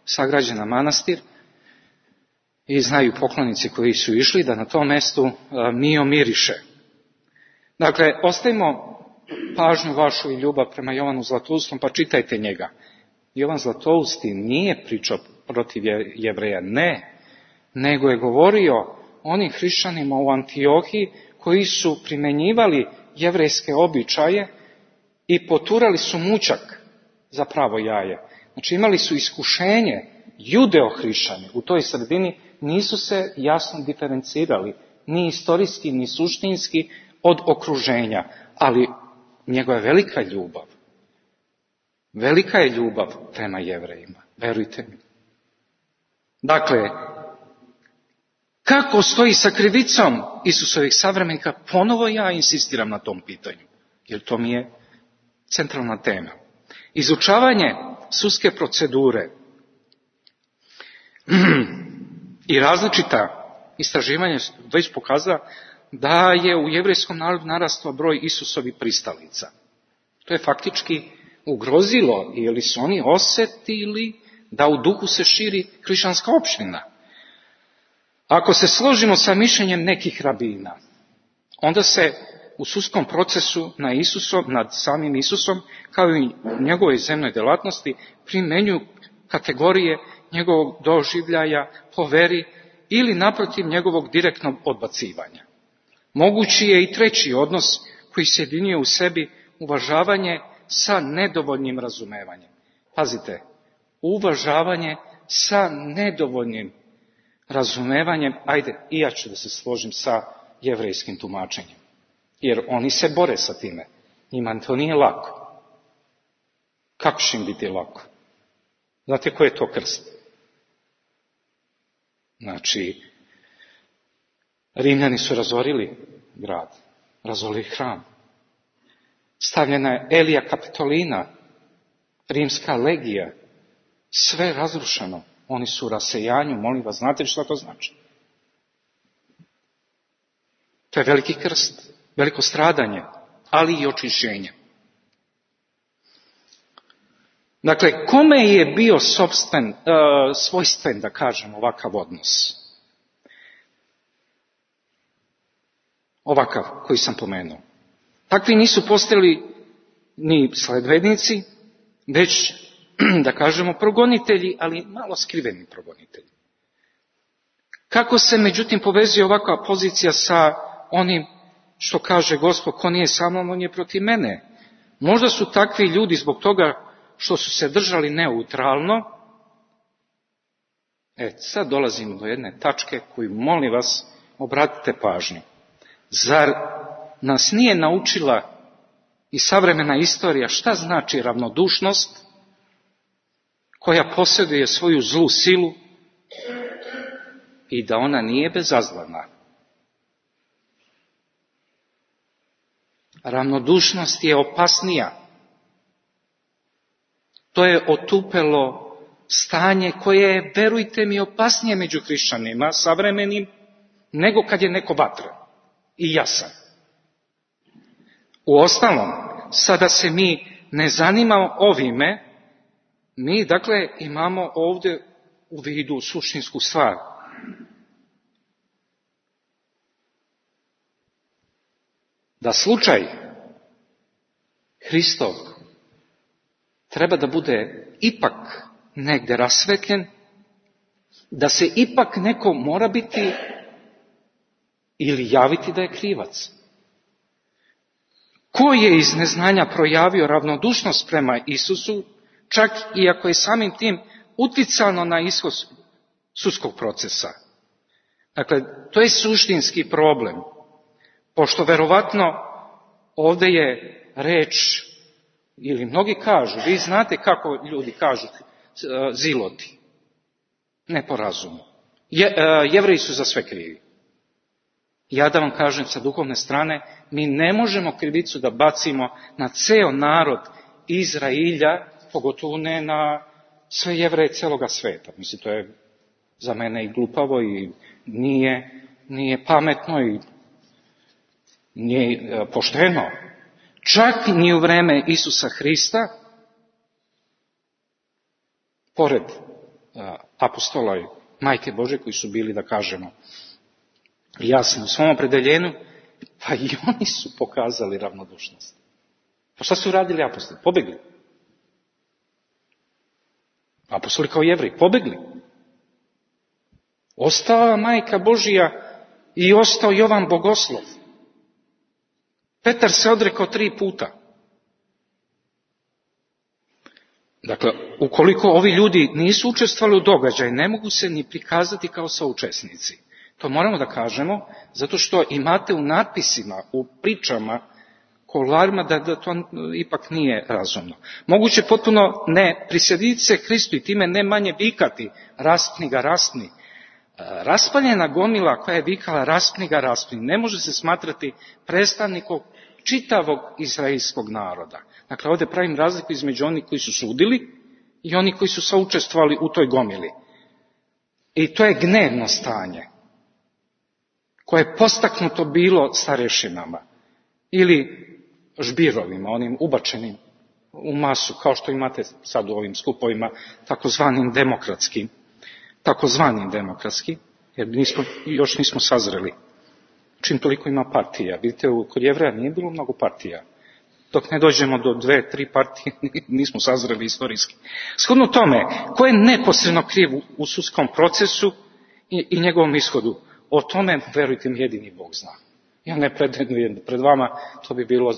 sagrađena manastir i znaju poklonici koji su išli da na tom mestu mio miriše. Dakle, ostavimo pažnju vašu i ljubav prema Jovanu Zlatoustom, pa čitajte njega. Jovan Zlatousti nije pričao protiv Jevreja, ne, nego je govorio onim hrišćanima u Antiohiji koji su primenjivali jevrejske običaje i poturali su mučak za pravo jaje. Znači imali su iskušenje, judeo-hrišćani u toj sredini nisu se jasno diferencirali, ni istorijski, ni suštinski od okruženja, ali njegova je velika ljubav. Velika je ljubav prema Jevrejima, verujte mi. Dakle, kako stoji sa krivicom Isusovih savremenika, ponovo ja insistiram na tom pitanju, jer to mi je centralna tema. Izučavanje sudske procedure i različita istraživanja već pokazala da je u jevrejskom narodu narastao broj Isusovih pristalica. To je faktički ugrozilo, jer su oni osjetili da u duhu se širi hrišćanska opština. Ako se složimo sa mišljenjem nekih rabina, onda se u sudskom procesu na Isusom, nad samim Isusom, kao i njegovoj zemnoj delatnosti, primenjuju kategorije njegovog doživljaja po veri ili naprotiv njegovog direktnog odbacivanja. Mogući je i treći odnos koji sjedinjuje u sebi uvažavanje sa nedovoljnim razumevanjem. Pazite, uvažavanje sa nedovoljnim razumevanjem, ajde, i ja ću da se složim sa jevrejskim tumačenjem. Jer oni se bore sa time. Njima to nije lako. Kako će im biti lako? Znate ko je to krst? Znači, Rimljani su razorili grad, razorili hram. Stavljena je Elija Kapitolina, rimska legija, sve razrušeno. Oni su u rasejanju, molim vas, znate li što to znači? To je veliki krst, veliko stradanje, ali i očišćenje. Dakle, kome je bio sopstven, uh, svojstven, da kažem, ovakav odnos? Ovakav koji sam pomenuo. Takvi nisu postali ni sledbenici, već, da kažemo, progonitelji, ali malo skriveni progonitelji. Kako se, međutim, povezuje ovakva pozicija sa onim što kaže Gospod, ko nije sa mnom, on je protiv mene. Možda su takvi ljudi zbog toga što su se držali neutralno. E, sad dolazimo do jedne tačke koju, molim vas, obratite pažnju. Zar nas nije naučila i savremena istorija šta znači ravnodušnost koja posjeduje svoju zlu silu i da ona nije bezazlena? Ravnodušnost je opasnija. To je otupelo stanje koje je, verujte mi, opasnije među hrišćanima savremenim nego kad je neko vatran i jasan. Uostalom, sada se mi ne zanimamo ovime, mi dakle imamo ovdje u vidu suštinsku stvar. Da slučaj Hristov treba da bude ipak negde rasvetljen, da se ipak neko mora biti ili javiti da je krivac. Ko je iz neznanja projavio ravnodušnost prema Isusu, čak i ako je samim tim uticano na ishod sudskog procesa? Dakle, to je suštinski problem, pošto verovatno ovdje je reč, ili mnogi kažu, vi znate kako ljudi kažu, ziloti, ne po razumu. Je, Jevreji su za sve krivi. Ja da vam kažem sa duhovne strane, mi ne možemo krivicu da bacimo na ceo narod Izrailja, pogotovo ne na sve Jevreje celoga sveta. Mislim, to je za mene i glupavo i nije, nije pametno i nije pošteno. Čak ni u vreme Isusa Hrista, pored apostola i Majke Božje koji su bili, da kažemo, jasni u svom opredeljenju, pa i oni su pokazali ravnodušnost. Pa šta su radili apostoli? Pobegli. Apostoli kao Jevreji, pobegli. Ostala Majka Božja i ostao Jovan Bogoslov. Petar se odrekao tri puta. Dakle, ukoliko ovi ljudi nisu učestvovali u događaju, ne mogu se ni prikazati kao saučesnici. To moramo da kažemo, zato što imate u natpisima, u pričama, kolarima, da, da to ipak nije razumno. Moguće potpuno ne prisjediti se Hristu i time ne manje vikati, raspni ga, raspni. Raspaljena gomila koja je vikala raspni ga, raspni, ne može se smatrati predstavnikom čitavog izraelskog naroda. Dakle, ovdje pravim razliku između onih koji su sudili i onih koji su saučestvovali u toj gomili. I to je gnevno stanje koje je postaknuto bilo starešinama ili žbirovima, onim ubačenim u masu, kao što imate sad u ovim skupovima, takozvanim demokratskim, takozvanim demokratskim, jer nismo, još nismo sazreli. Čim toliko ima partija. Vidite, kod Jevreja nije bilo mnogo partija. Dok ne dođemo do dve, tri partije, nismo sazreli istorijski. Shodno tome, ko je neposredno kriv u sudskom procesu i, i njegovom ishodu, o tome, verujte mi, jedini Bog zna. Ja ne pretendujem pred vama, to bi bilo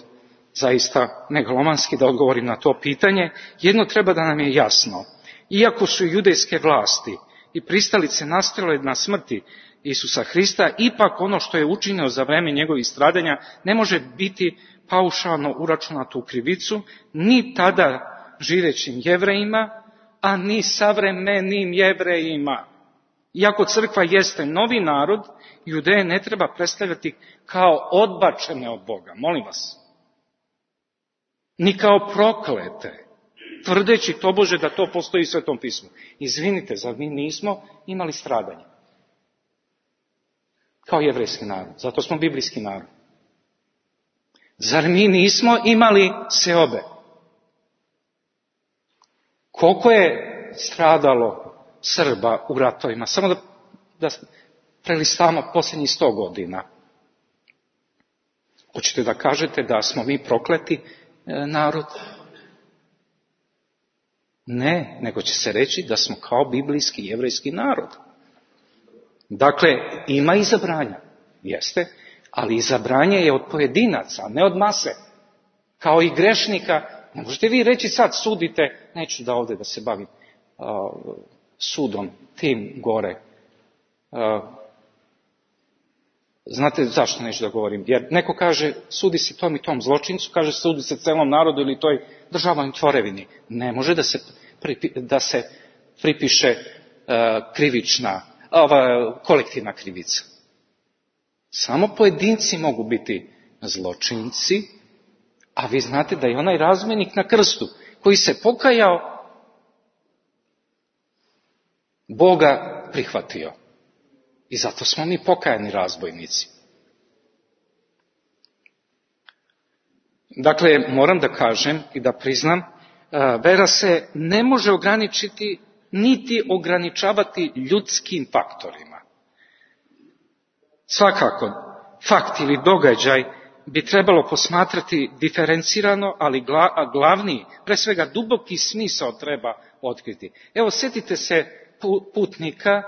zaista megalomanski da odgovorim na to pitanje. Jedno treba da nam je jasno. Iako su judejske vlasti i pristalice nastojale na smrti Isusa Hrista, ipak ono što je učinio za vreme njegovih stradanja ne može biti paušalno uračunato u krivicu, ni tada živećim Jevrejima, a ni savremenim Jevrejima. Iako crkva jeste novi narod, Judeje ne treba predstavljati kao odbačene od Boga, molim vas. Ni kao proklete, tvrdeći tobože da to postoji u Svetom pismu. Izvinite, zar mi nismo imali stradanje? kao jevrejski narod. Zato smo biblijski narod. Zar mi nismo imali seobe? Koliko je stradalo Srba u ratovima? Samo da, da prelistamo posljednjih sto godina. Hoćete da kažete da smo mi prokleti e, narod? Ne, nego će se reći da smo kao biblijski jevrejski narod. Dakle, ima izabranja, jeste, ali izabranje je od pojedinaca, ne od mase. Kao i grešnika, ne možete vi reći sad sudite, neću da ovdje da se bavim uh, sudom, tim gore. Uh, znate zašto neću da govorim? Jer neko kaže sudi se tom i tom zločincu, kaže sudi se celom narodu ili toj državnoj tvorevini. Ne može da se, pripi, da se pripiše uh, krivična, ova kolektivna krivica. Samo pojedinci mogu biti zločinci, a vi znate da je onaj razmenik na krstu koji se pokajao, Boga prihvatio. I zato smo mi pokajani razbojnici. Dakle, moram da kažem i da priznam, vera se ne može ograničiti niti ograničavati ljudskim faktorima. Svakako, fakt ili događaj bi trebalo posmatrati diferencirano, ali glavni, pre svega duboki smisao treba otkriti. Evo, sjetite se putnika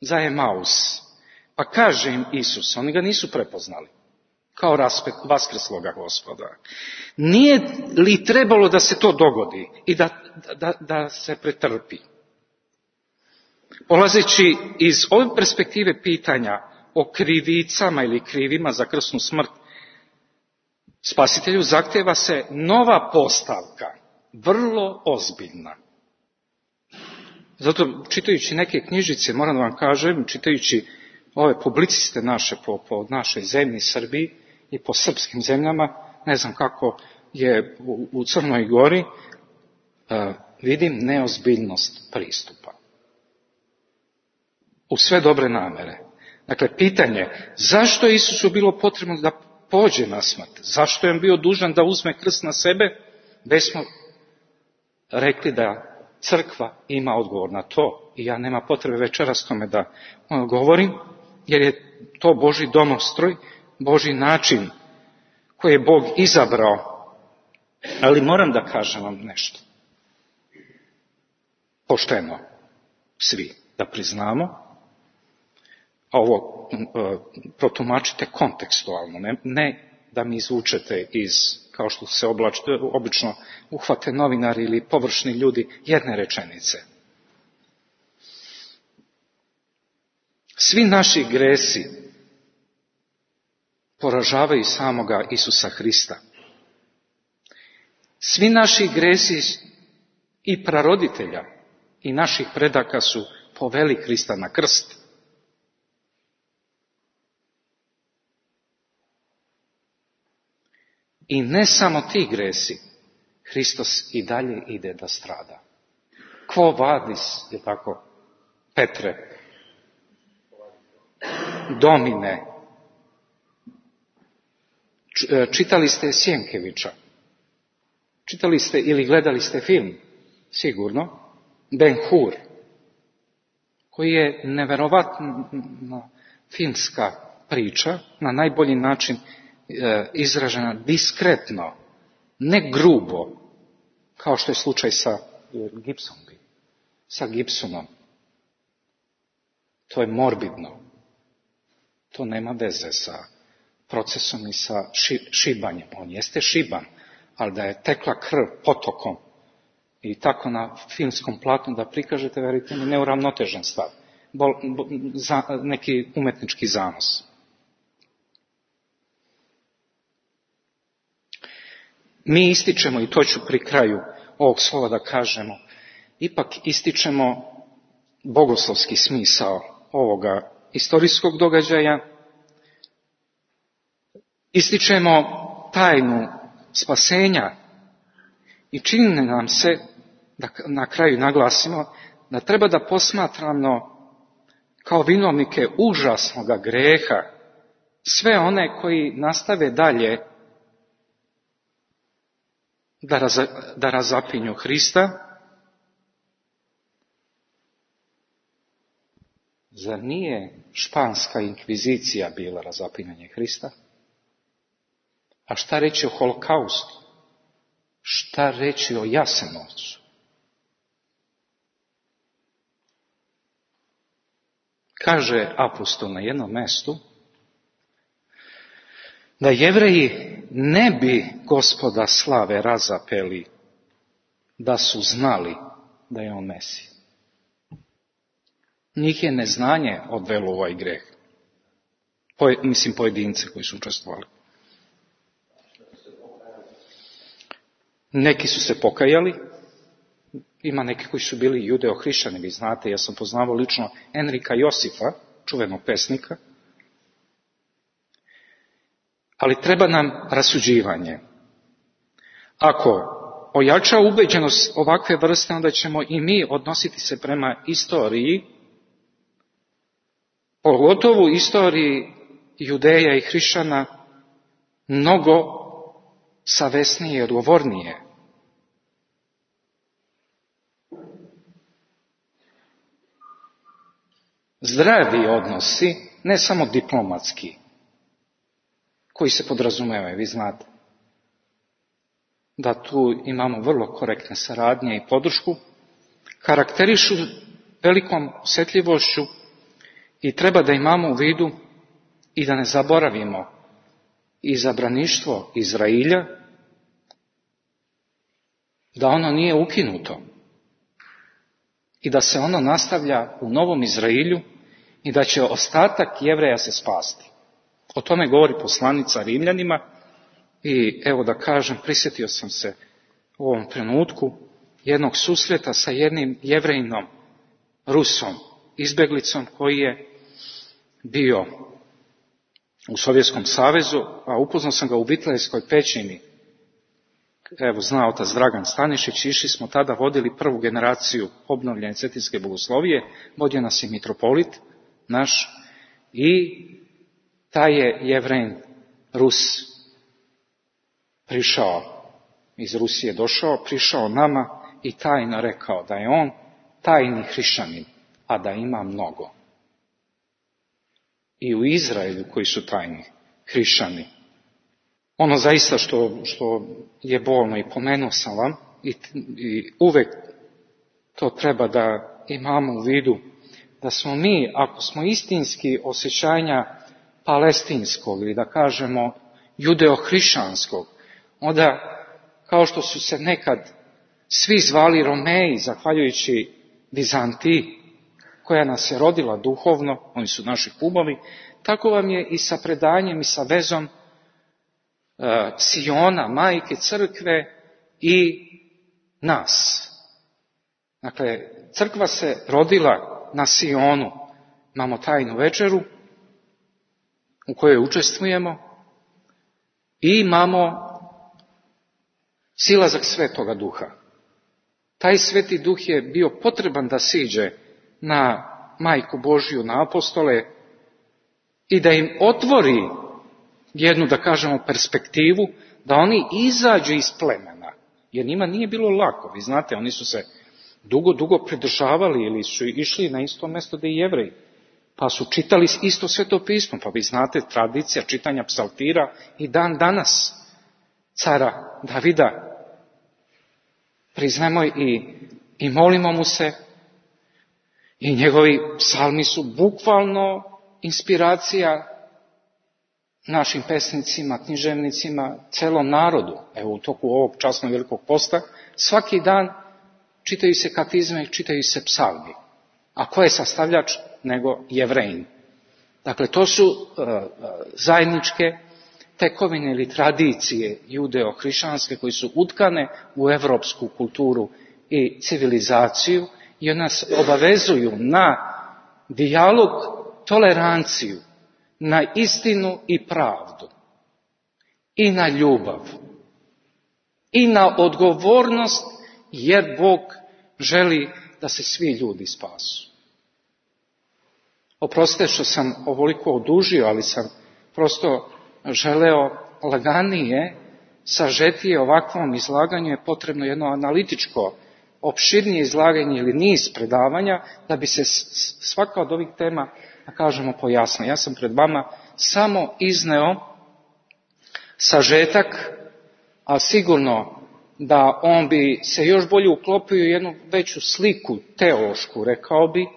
za Emaus. Pa kaže im Isus, oni ga nisu prepoznali kao raspet vaskrsloga Gospoda. Nije li trebalo da se to dogodi i da, da, da se pretrpi? Polazeći iz ove perspektive pitanja o krivicama ili krivima za krsnu smrt, Spasitelju zahteva se nova postavka, vrlo ozbiljna. Zato, čitajući neke knjižice, moram da vam kažem, čitajući ove publiciste naše po, po našoj zemlji Srbiji i po srpskim zemljama, ne znam kako je u, u Crnoj Gori, uh, vidim neozbiljnost pristupa. U sve dobre namere. Dakle, pitanje, zašto je Isusu bilo potrebno da pođe na smrt? Zašto je on bio dužan da uzme krst na sebe? Već smo rekli da crkva ima odgovor na to i ja nema potrebe večeras tome da govorim, jer je to Božji domostroj, Božji način koji je Bog izabrao. Ali moram da kažem vam nešto. Pošteno, svi, da priznamo, a ovo e, protumačite kontekstualno, ne, ne da mi izvučete iz, kao što se oblač, obično uhvate novinari ili površni ljudi, jedne rečenice. Svi naši gresi poražavaju samoga Isusa Hrista. Svi naši gresi i praroditelja i naših predaka su poveli Hrista na krst. I ne samo ti gresi, Hristos i dalje ide da strada. Quo vadis, je tako, Petre, Domine. Čitali ste Sjenkevića, čitali ste ili gledali ste film, sigurno, Ben-Hur, koji je neverovatna filmska priča, na najbolji način izražena diskretno, ne grubo, kao što je slučaj sa Gibsonom. Sa Gibsonom. To je morbidno. To nema veze sa procesom i sa ši, šibanjem. On jeste šiban, ali da je tekla krv potokom i tako na filmskom platnu da prikažete, verite mi, neuravnotežen stav. Bol, bo, za, neki umetnički zanos. Mi ističemo, i to ću pri kraju ovog slova da kažemo, ipak ističemo bogoslovski smisao ovoga istorijskog događaja, ističemo tajnu spasenja i čini nam se, da na kraju naglasimo, da treba da posmatramo kao vinovnike užasnoga greha, sve one koji nastave dalje da, raz, da razapinju Hrista. Zar nije španska inkvizicija bila razapinjanje Hrista? A šta reći o holokaustu? Šta reći o Jasenovcu? Kaže apostol na jednom mjestu da Jevreji ne bi Gospoda slave razapeli da su znali da je on Mesija. Njih je neznanje odvelo u ovaj greh. Po, mislim pojedince koji su učestvovali. Neki su se pokajali, ima neki koji su bili judeo-hrišćani, vi znate, ja sam poznavao lično Enrika Josifa, čuvenog pesnika, ali treba nam rasuđivanje. Ako ojača ubeđenost ovakve vrste, onda ćemo i mi odnositi se prema istoriji, pogotovo istoriji Judeja i hrišćana, mnogo savesnije i odgovornije. Zdravi odnosi, ne samo diplomatski, koji se podrazumevaju, vi znate, da tu imamo vrlo korektne saradnje i podršku, karakterišu velikom osjetljivošću i treba da imamo u vidu i da ne zaboravimo izabraništvo Izrailja, da ono nije ukinuto i da se ono nastavlja u novom Izrailju i da će ostatak Jevreja se spasti. O tome govori poslanica Rimljanima i evo da kažem, prisjetio sam se u ovom trenutku jednog susreta sa jednim Jevrejinom, Rusom, izbjeglicom koji je bio u Sovjetskom savezu, a upoznao sam ga u Vitlejskoj pećini. Evo, zna otac Dragan Stanišić, išli smo tada, vodili prvu generaciju obnovljene cetinske bogoslovije, vodio nas je mitropolit naš i taj je Jevrejin Rus prišao, iz Rusije došao, prišao nama i tajno rekao da je on tajni hrišćanin, a da ima mnogo. I u Izraelju koji su tajni hrišćani. Ono zaista što, što je bolno i pomenuo sam vam i, i uvek to treba da imamo u vidu, da smo mi, ako smo istinski osjećanja palestinskog ili da kažemo judeo-hrišćanskog, onda kao što su se nekad svi zvali Romeji, zahvaljujući Vizantiji, koja nas je rodila duhovno, oni su naši kumovi, tako vam je i sa predanjem i sa vezom uh, Siona, majke crkve i nas. Dakle, crkva se rodila na Sionu, imamo tajnu večeru u kojoj učestvujemo i imamo silazak Svetoga Duha. Taj Sveti Duh je bio potreban da siđe na Majku Božju, na apostole i da im otvori jednu, da kažemo, perspektivu, da oni izađu iz plemena. Jer njima nije bilo lako, vi znate, oni su se dugo, dugo pridržavali ili su išli na isto mjesto da i Jevreji. Pa su čitali isto Sveto pismo, pa vi znate tradicija čitanja psaltira i dan danas cara Davida. Priznajmo i, i molimo mu se i njegovi psalmi su bukvalno inspiracija našim pesnicima, književnicima, celom narodu. Evo u toku ovog časnog velikog posta svaki dan čitaju se katizme, čitaju se psalmi. A ko je sastavljač nego Jevrejin? Dakle, to su uh, zajedničke tekovine ili tradicije judeo-hrišćanske koji su utkane u evropsku kulturu i civilizaciju i nas obavezuju na dijalog, toleranciju, na istinu i pravdu i na ljubav i na odgovornost, jer Bog želi da se svi ljudi spasu. Oprostite što sam ovoliko odužio, ali sam prosto želeo laganije, sažetije ovakvom izlaganju je potrebno jedno analitičko, opširnije izlaganje ili niz predavanja da bi se svaka od ovih tema, da kažemo, pojasnila. Ja sam pred vama samo izneo sažetak, a sigurno da on bi se još bolje uklopio u jednu veću sliku teološku, rekao bi,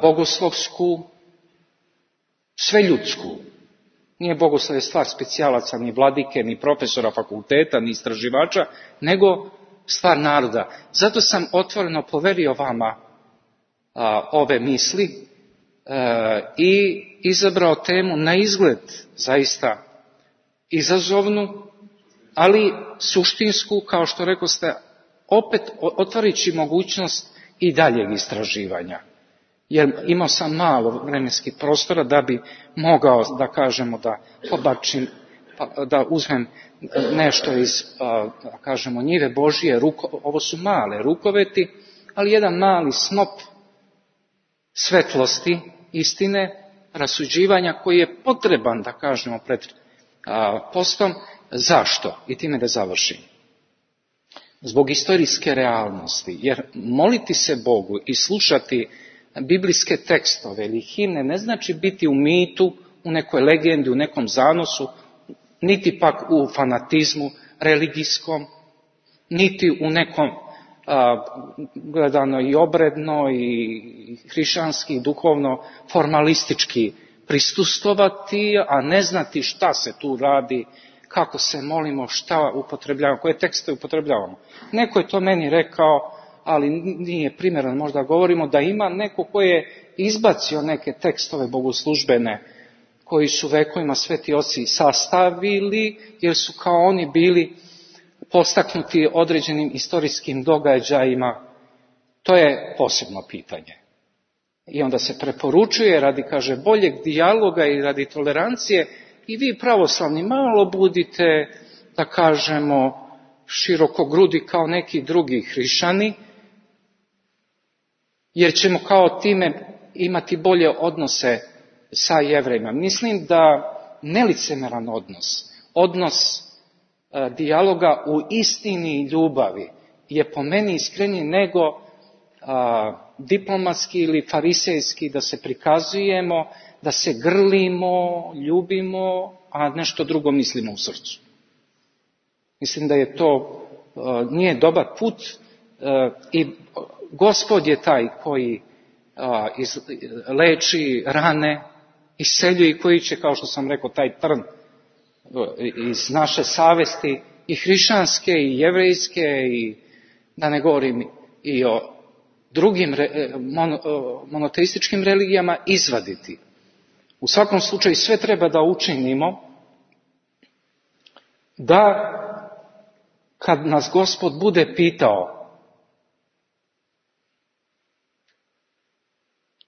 bogoslovsku, sveljudsku. Nije bogoslov stvar specijalaca, ni vladike, ni profesora fakulteta, ni istraživača, nego stvar naroda. Zato sam otvoreno poverio vama a, ove misli a, i izabrao temu na izgled zaista izazovnu, ali suštinsku, kao što rekoste, opet otvorići mogućnost i daljeg istraživanja. Jer imao sam malo vremenskih prostora da bi mogao, da kažemo, da pobačim, da uzmem nešto iz, da kažemo, njive Božije, ruko, ovo su male rukoveti, ali jedan mali snop svetlosti, istine, rasuđivanja koji je potreban, da kažemo, pred postom. Zašto? I time da završim. Zbog istorijske realnosti, jer moliti se Bogu i slušati biblijske tekstove ili himne ne znači biti u mitu, u nekoj legendi, u nekom zanosu, niti pak u fanatizmu religijskom, niti u nekom a, gledano i obredno i hrišćanski i duhovno formalistički prisustvovati, a ne znati šta se tu radi, kako se molimo, šta upotrebljavamo, koje tekste upotrebljavamo. Neko je to meni rekao, ali nije primjerno, možda govorimo da ima neko ko je izbacio neke tekstove bogoslužbene koji su vekovima sveti oci sastavili, jer su kao oni bili postaknuti određenim istorijskim događajima. To je posebno pitanje. I onda se preporučuje radi, kaže, boljeg dijaloga i radi tolerancije i vi pravoslavni malo budite, da kažemo, širokogrudi kao neki drugi hrišćani, jer ćemo kao time imati bolje odnose sa Jevrejima. Mislim da nelicemeran odnos, odnos e, dijaloga u istini i ljubavi je po meni iskreniji nego a, diplomatski ili farisejski, da se prikazujemo, da se grlimo, ljubimo, a nešto drugo mislimo u srcu. Mislim da je to a, nije dobar put a, i Gospod je taj koji a, iz, leči rane, isseljuje i koji će, kao što sam rekao, taj trn iz naše savesti i hrišćanske i jevrejske i da ne govorim i o drugim mono, monoteističkim religijama izvaditi. U svakom slučaju sve treba da učinimo da kad nas Gospod bude pitao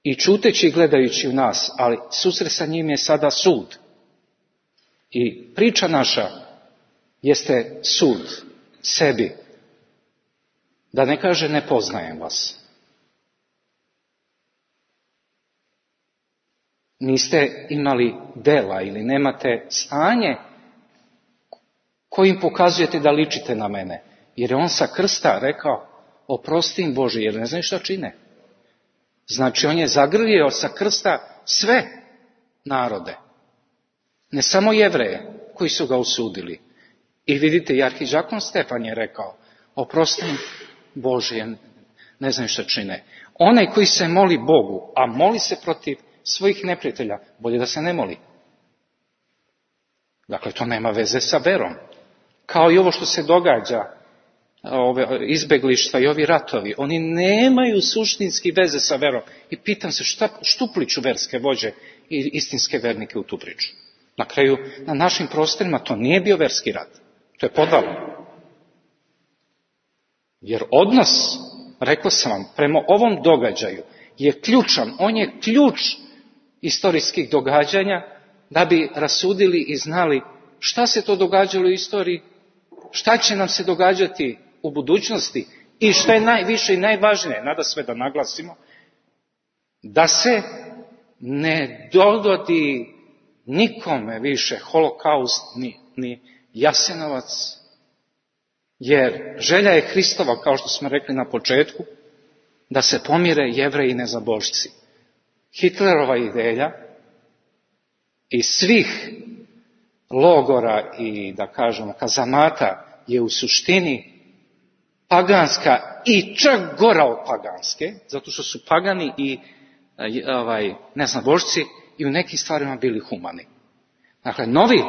i čuteći i gledajući u nas, ali susret sa njim je sada sud. I priča naša jeste sud sebi. Da ne kaže ne poznajem vas. Niste imali dela ili nemate stanje kojim pokazujete da ličite na mene. Jer je on sa krsta rekao, oprosti im Bože, jer ne znaju šta čine. Znači on je zagrlio sa krsta sve narode. Ne samo Jevreje koji su ga osudili. I vidite, i arhidžakon Stefan je rekao, oprosti im Bože, ne znaju šta čine. Onaj koji se moli Bogu, a moli se protiv svojih neprijatelja, bolje da se ne moli. Dakle, to nema veze sa verom. Kao i ovo što se događa, ove izbeglištva i ovi ratovi, oni nemaju suštinski veze sa verom. I pitam se šta štupliću verske vođe i istinske vernike u tu priču. Na kraju, na našim prostorima to nije bio verski rat. To je podvalo. Jer odnos, rekao sam vam, prema ovom događaju je ključan. On je ključ istorijskih događanja da bi rasudili i znali šta se to događalo u istoriji, šta će nam se događati u budućnosti i što je najviše i najvažnije, nada sve da naglasimo, da se ne dogodi nikome više holokaust ni, ni Jasenovac, jer želja je Hristova, kao što smo rekli na početku, da se pomire Jevreji i nezabožci. Hitlerova ideja i svih logora i, da kažemo, kazamata je u suštini paganska i čak gora od paganske, zato što su pagani i ovaj, neznabožci i u nekim stvarima bili humani. Dakle, novi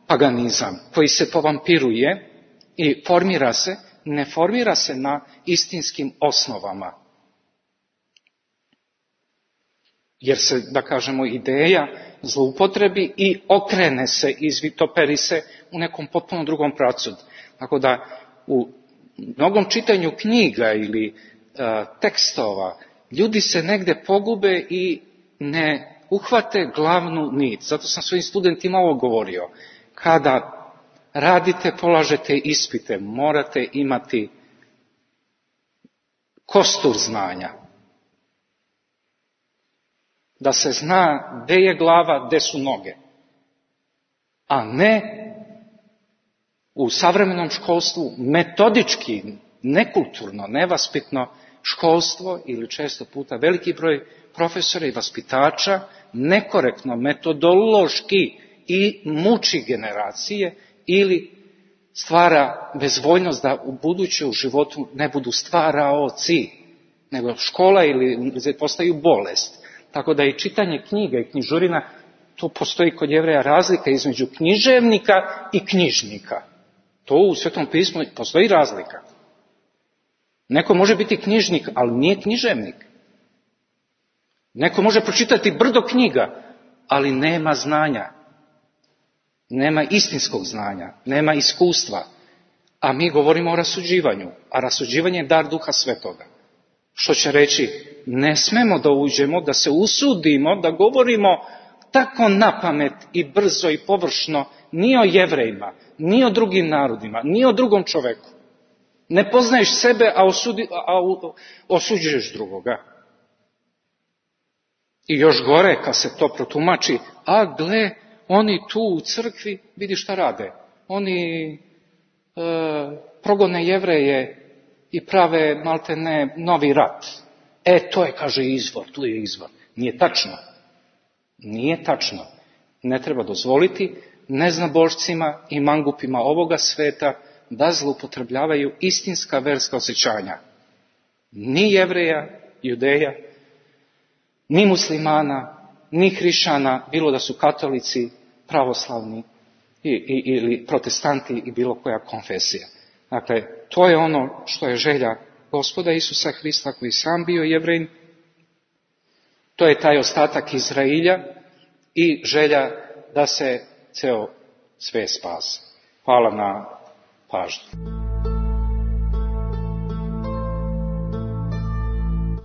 paganizam koji se povampiruje i formira se, ne formira se na istinskim osnovama. Jer se, da kažemo, ideja zloupotrebi i okrene se, izvitoperi se u nekom potpuno drugom pravcu. Tako da u mnogom čitanju knjiga ili a, tekstova ljudi se negde pogube i ne uhvate glavnu nit. Zato sam svojim studentima ovo govorio. Kada radite, polažete ispite, morate imati kostur znanja. Da se zna gde je glava, gde su noge. A ne u savremenom školstvu metodički, nekulturno, nevaspitno školstvo ili često puta veliki broj profesora i vaspitača nekorektno, metodološki i muči generacije ili stvara bezvoljnost da u buduće u životu ne budu stvaraoci, nego škola ili postaju bolest. Tako da i čitanje knjiga i knjižurina, tu postoji kod Jevreja razlika između književnika i knjižnika. To u Svetom pismu postoji razlika. Neko može biti knjižnik, ali nije književnik. Neko može pročitati brdo knjiga, ali nema znanja. Nema istinskog znanja, nema iskustva. A mi govorimo o rasuđivanju, a rasuđivanje je dar Duha Svetoga. Što će reći, ne smemo da uđemo, da se usudimo, da govorimo tako napamet i brzo i površno ni o Jevrejima, ni o drugim narodima, ni o drugom čoveku. Ne poznaješ sebe, a, osudi, a osuđuješ drugoga. I još gore, kad se to protumači, a gle, oni tu u crkvi, vidi šta rade. Oni e, progone Jevreje i prave, malte ne, novi rat. E, to je, kaže, izvor, tu je izvor. Nije tačno. Nije tačno. Ne treba dozvoliti neznabožcima i mangupima ovoga sveta da zloupotrebljavaju istinska verska osjećanja. Ni Jevreja, Judeja, ni muslimana, ni hrišćana, bilo da su katolici, pravoslavni i, i, ili protestanti i bilo koja konfesija. Dakle, to je ono što je želja Gospoda Isusa Hrista, koji sam bio Jevrejin. To je taj ostatak Izrailja i želja da se ceo svet spase. Hvala na pažnju.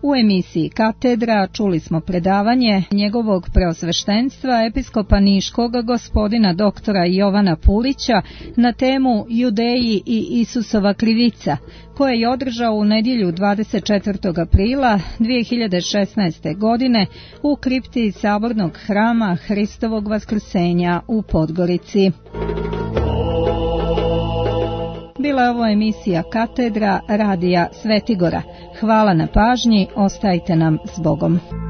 U emisiji Katedra čuli smo predavanje njegovog preosveštenstva episkopa Niškog gospodina doktora Jovana Pulića na temu Judeji i Isusova krivica, koje je održao u nedjelju dvadeset četvrtog aprila dvije hiljade šesnaeste. godine u kripti Sabornog hrama Hristovog vaskrsenja u Podgorici. Bila je ovo emisija Katedra radija Svetigora. Hvala na pažnji, ostajte nam s Bogom.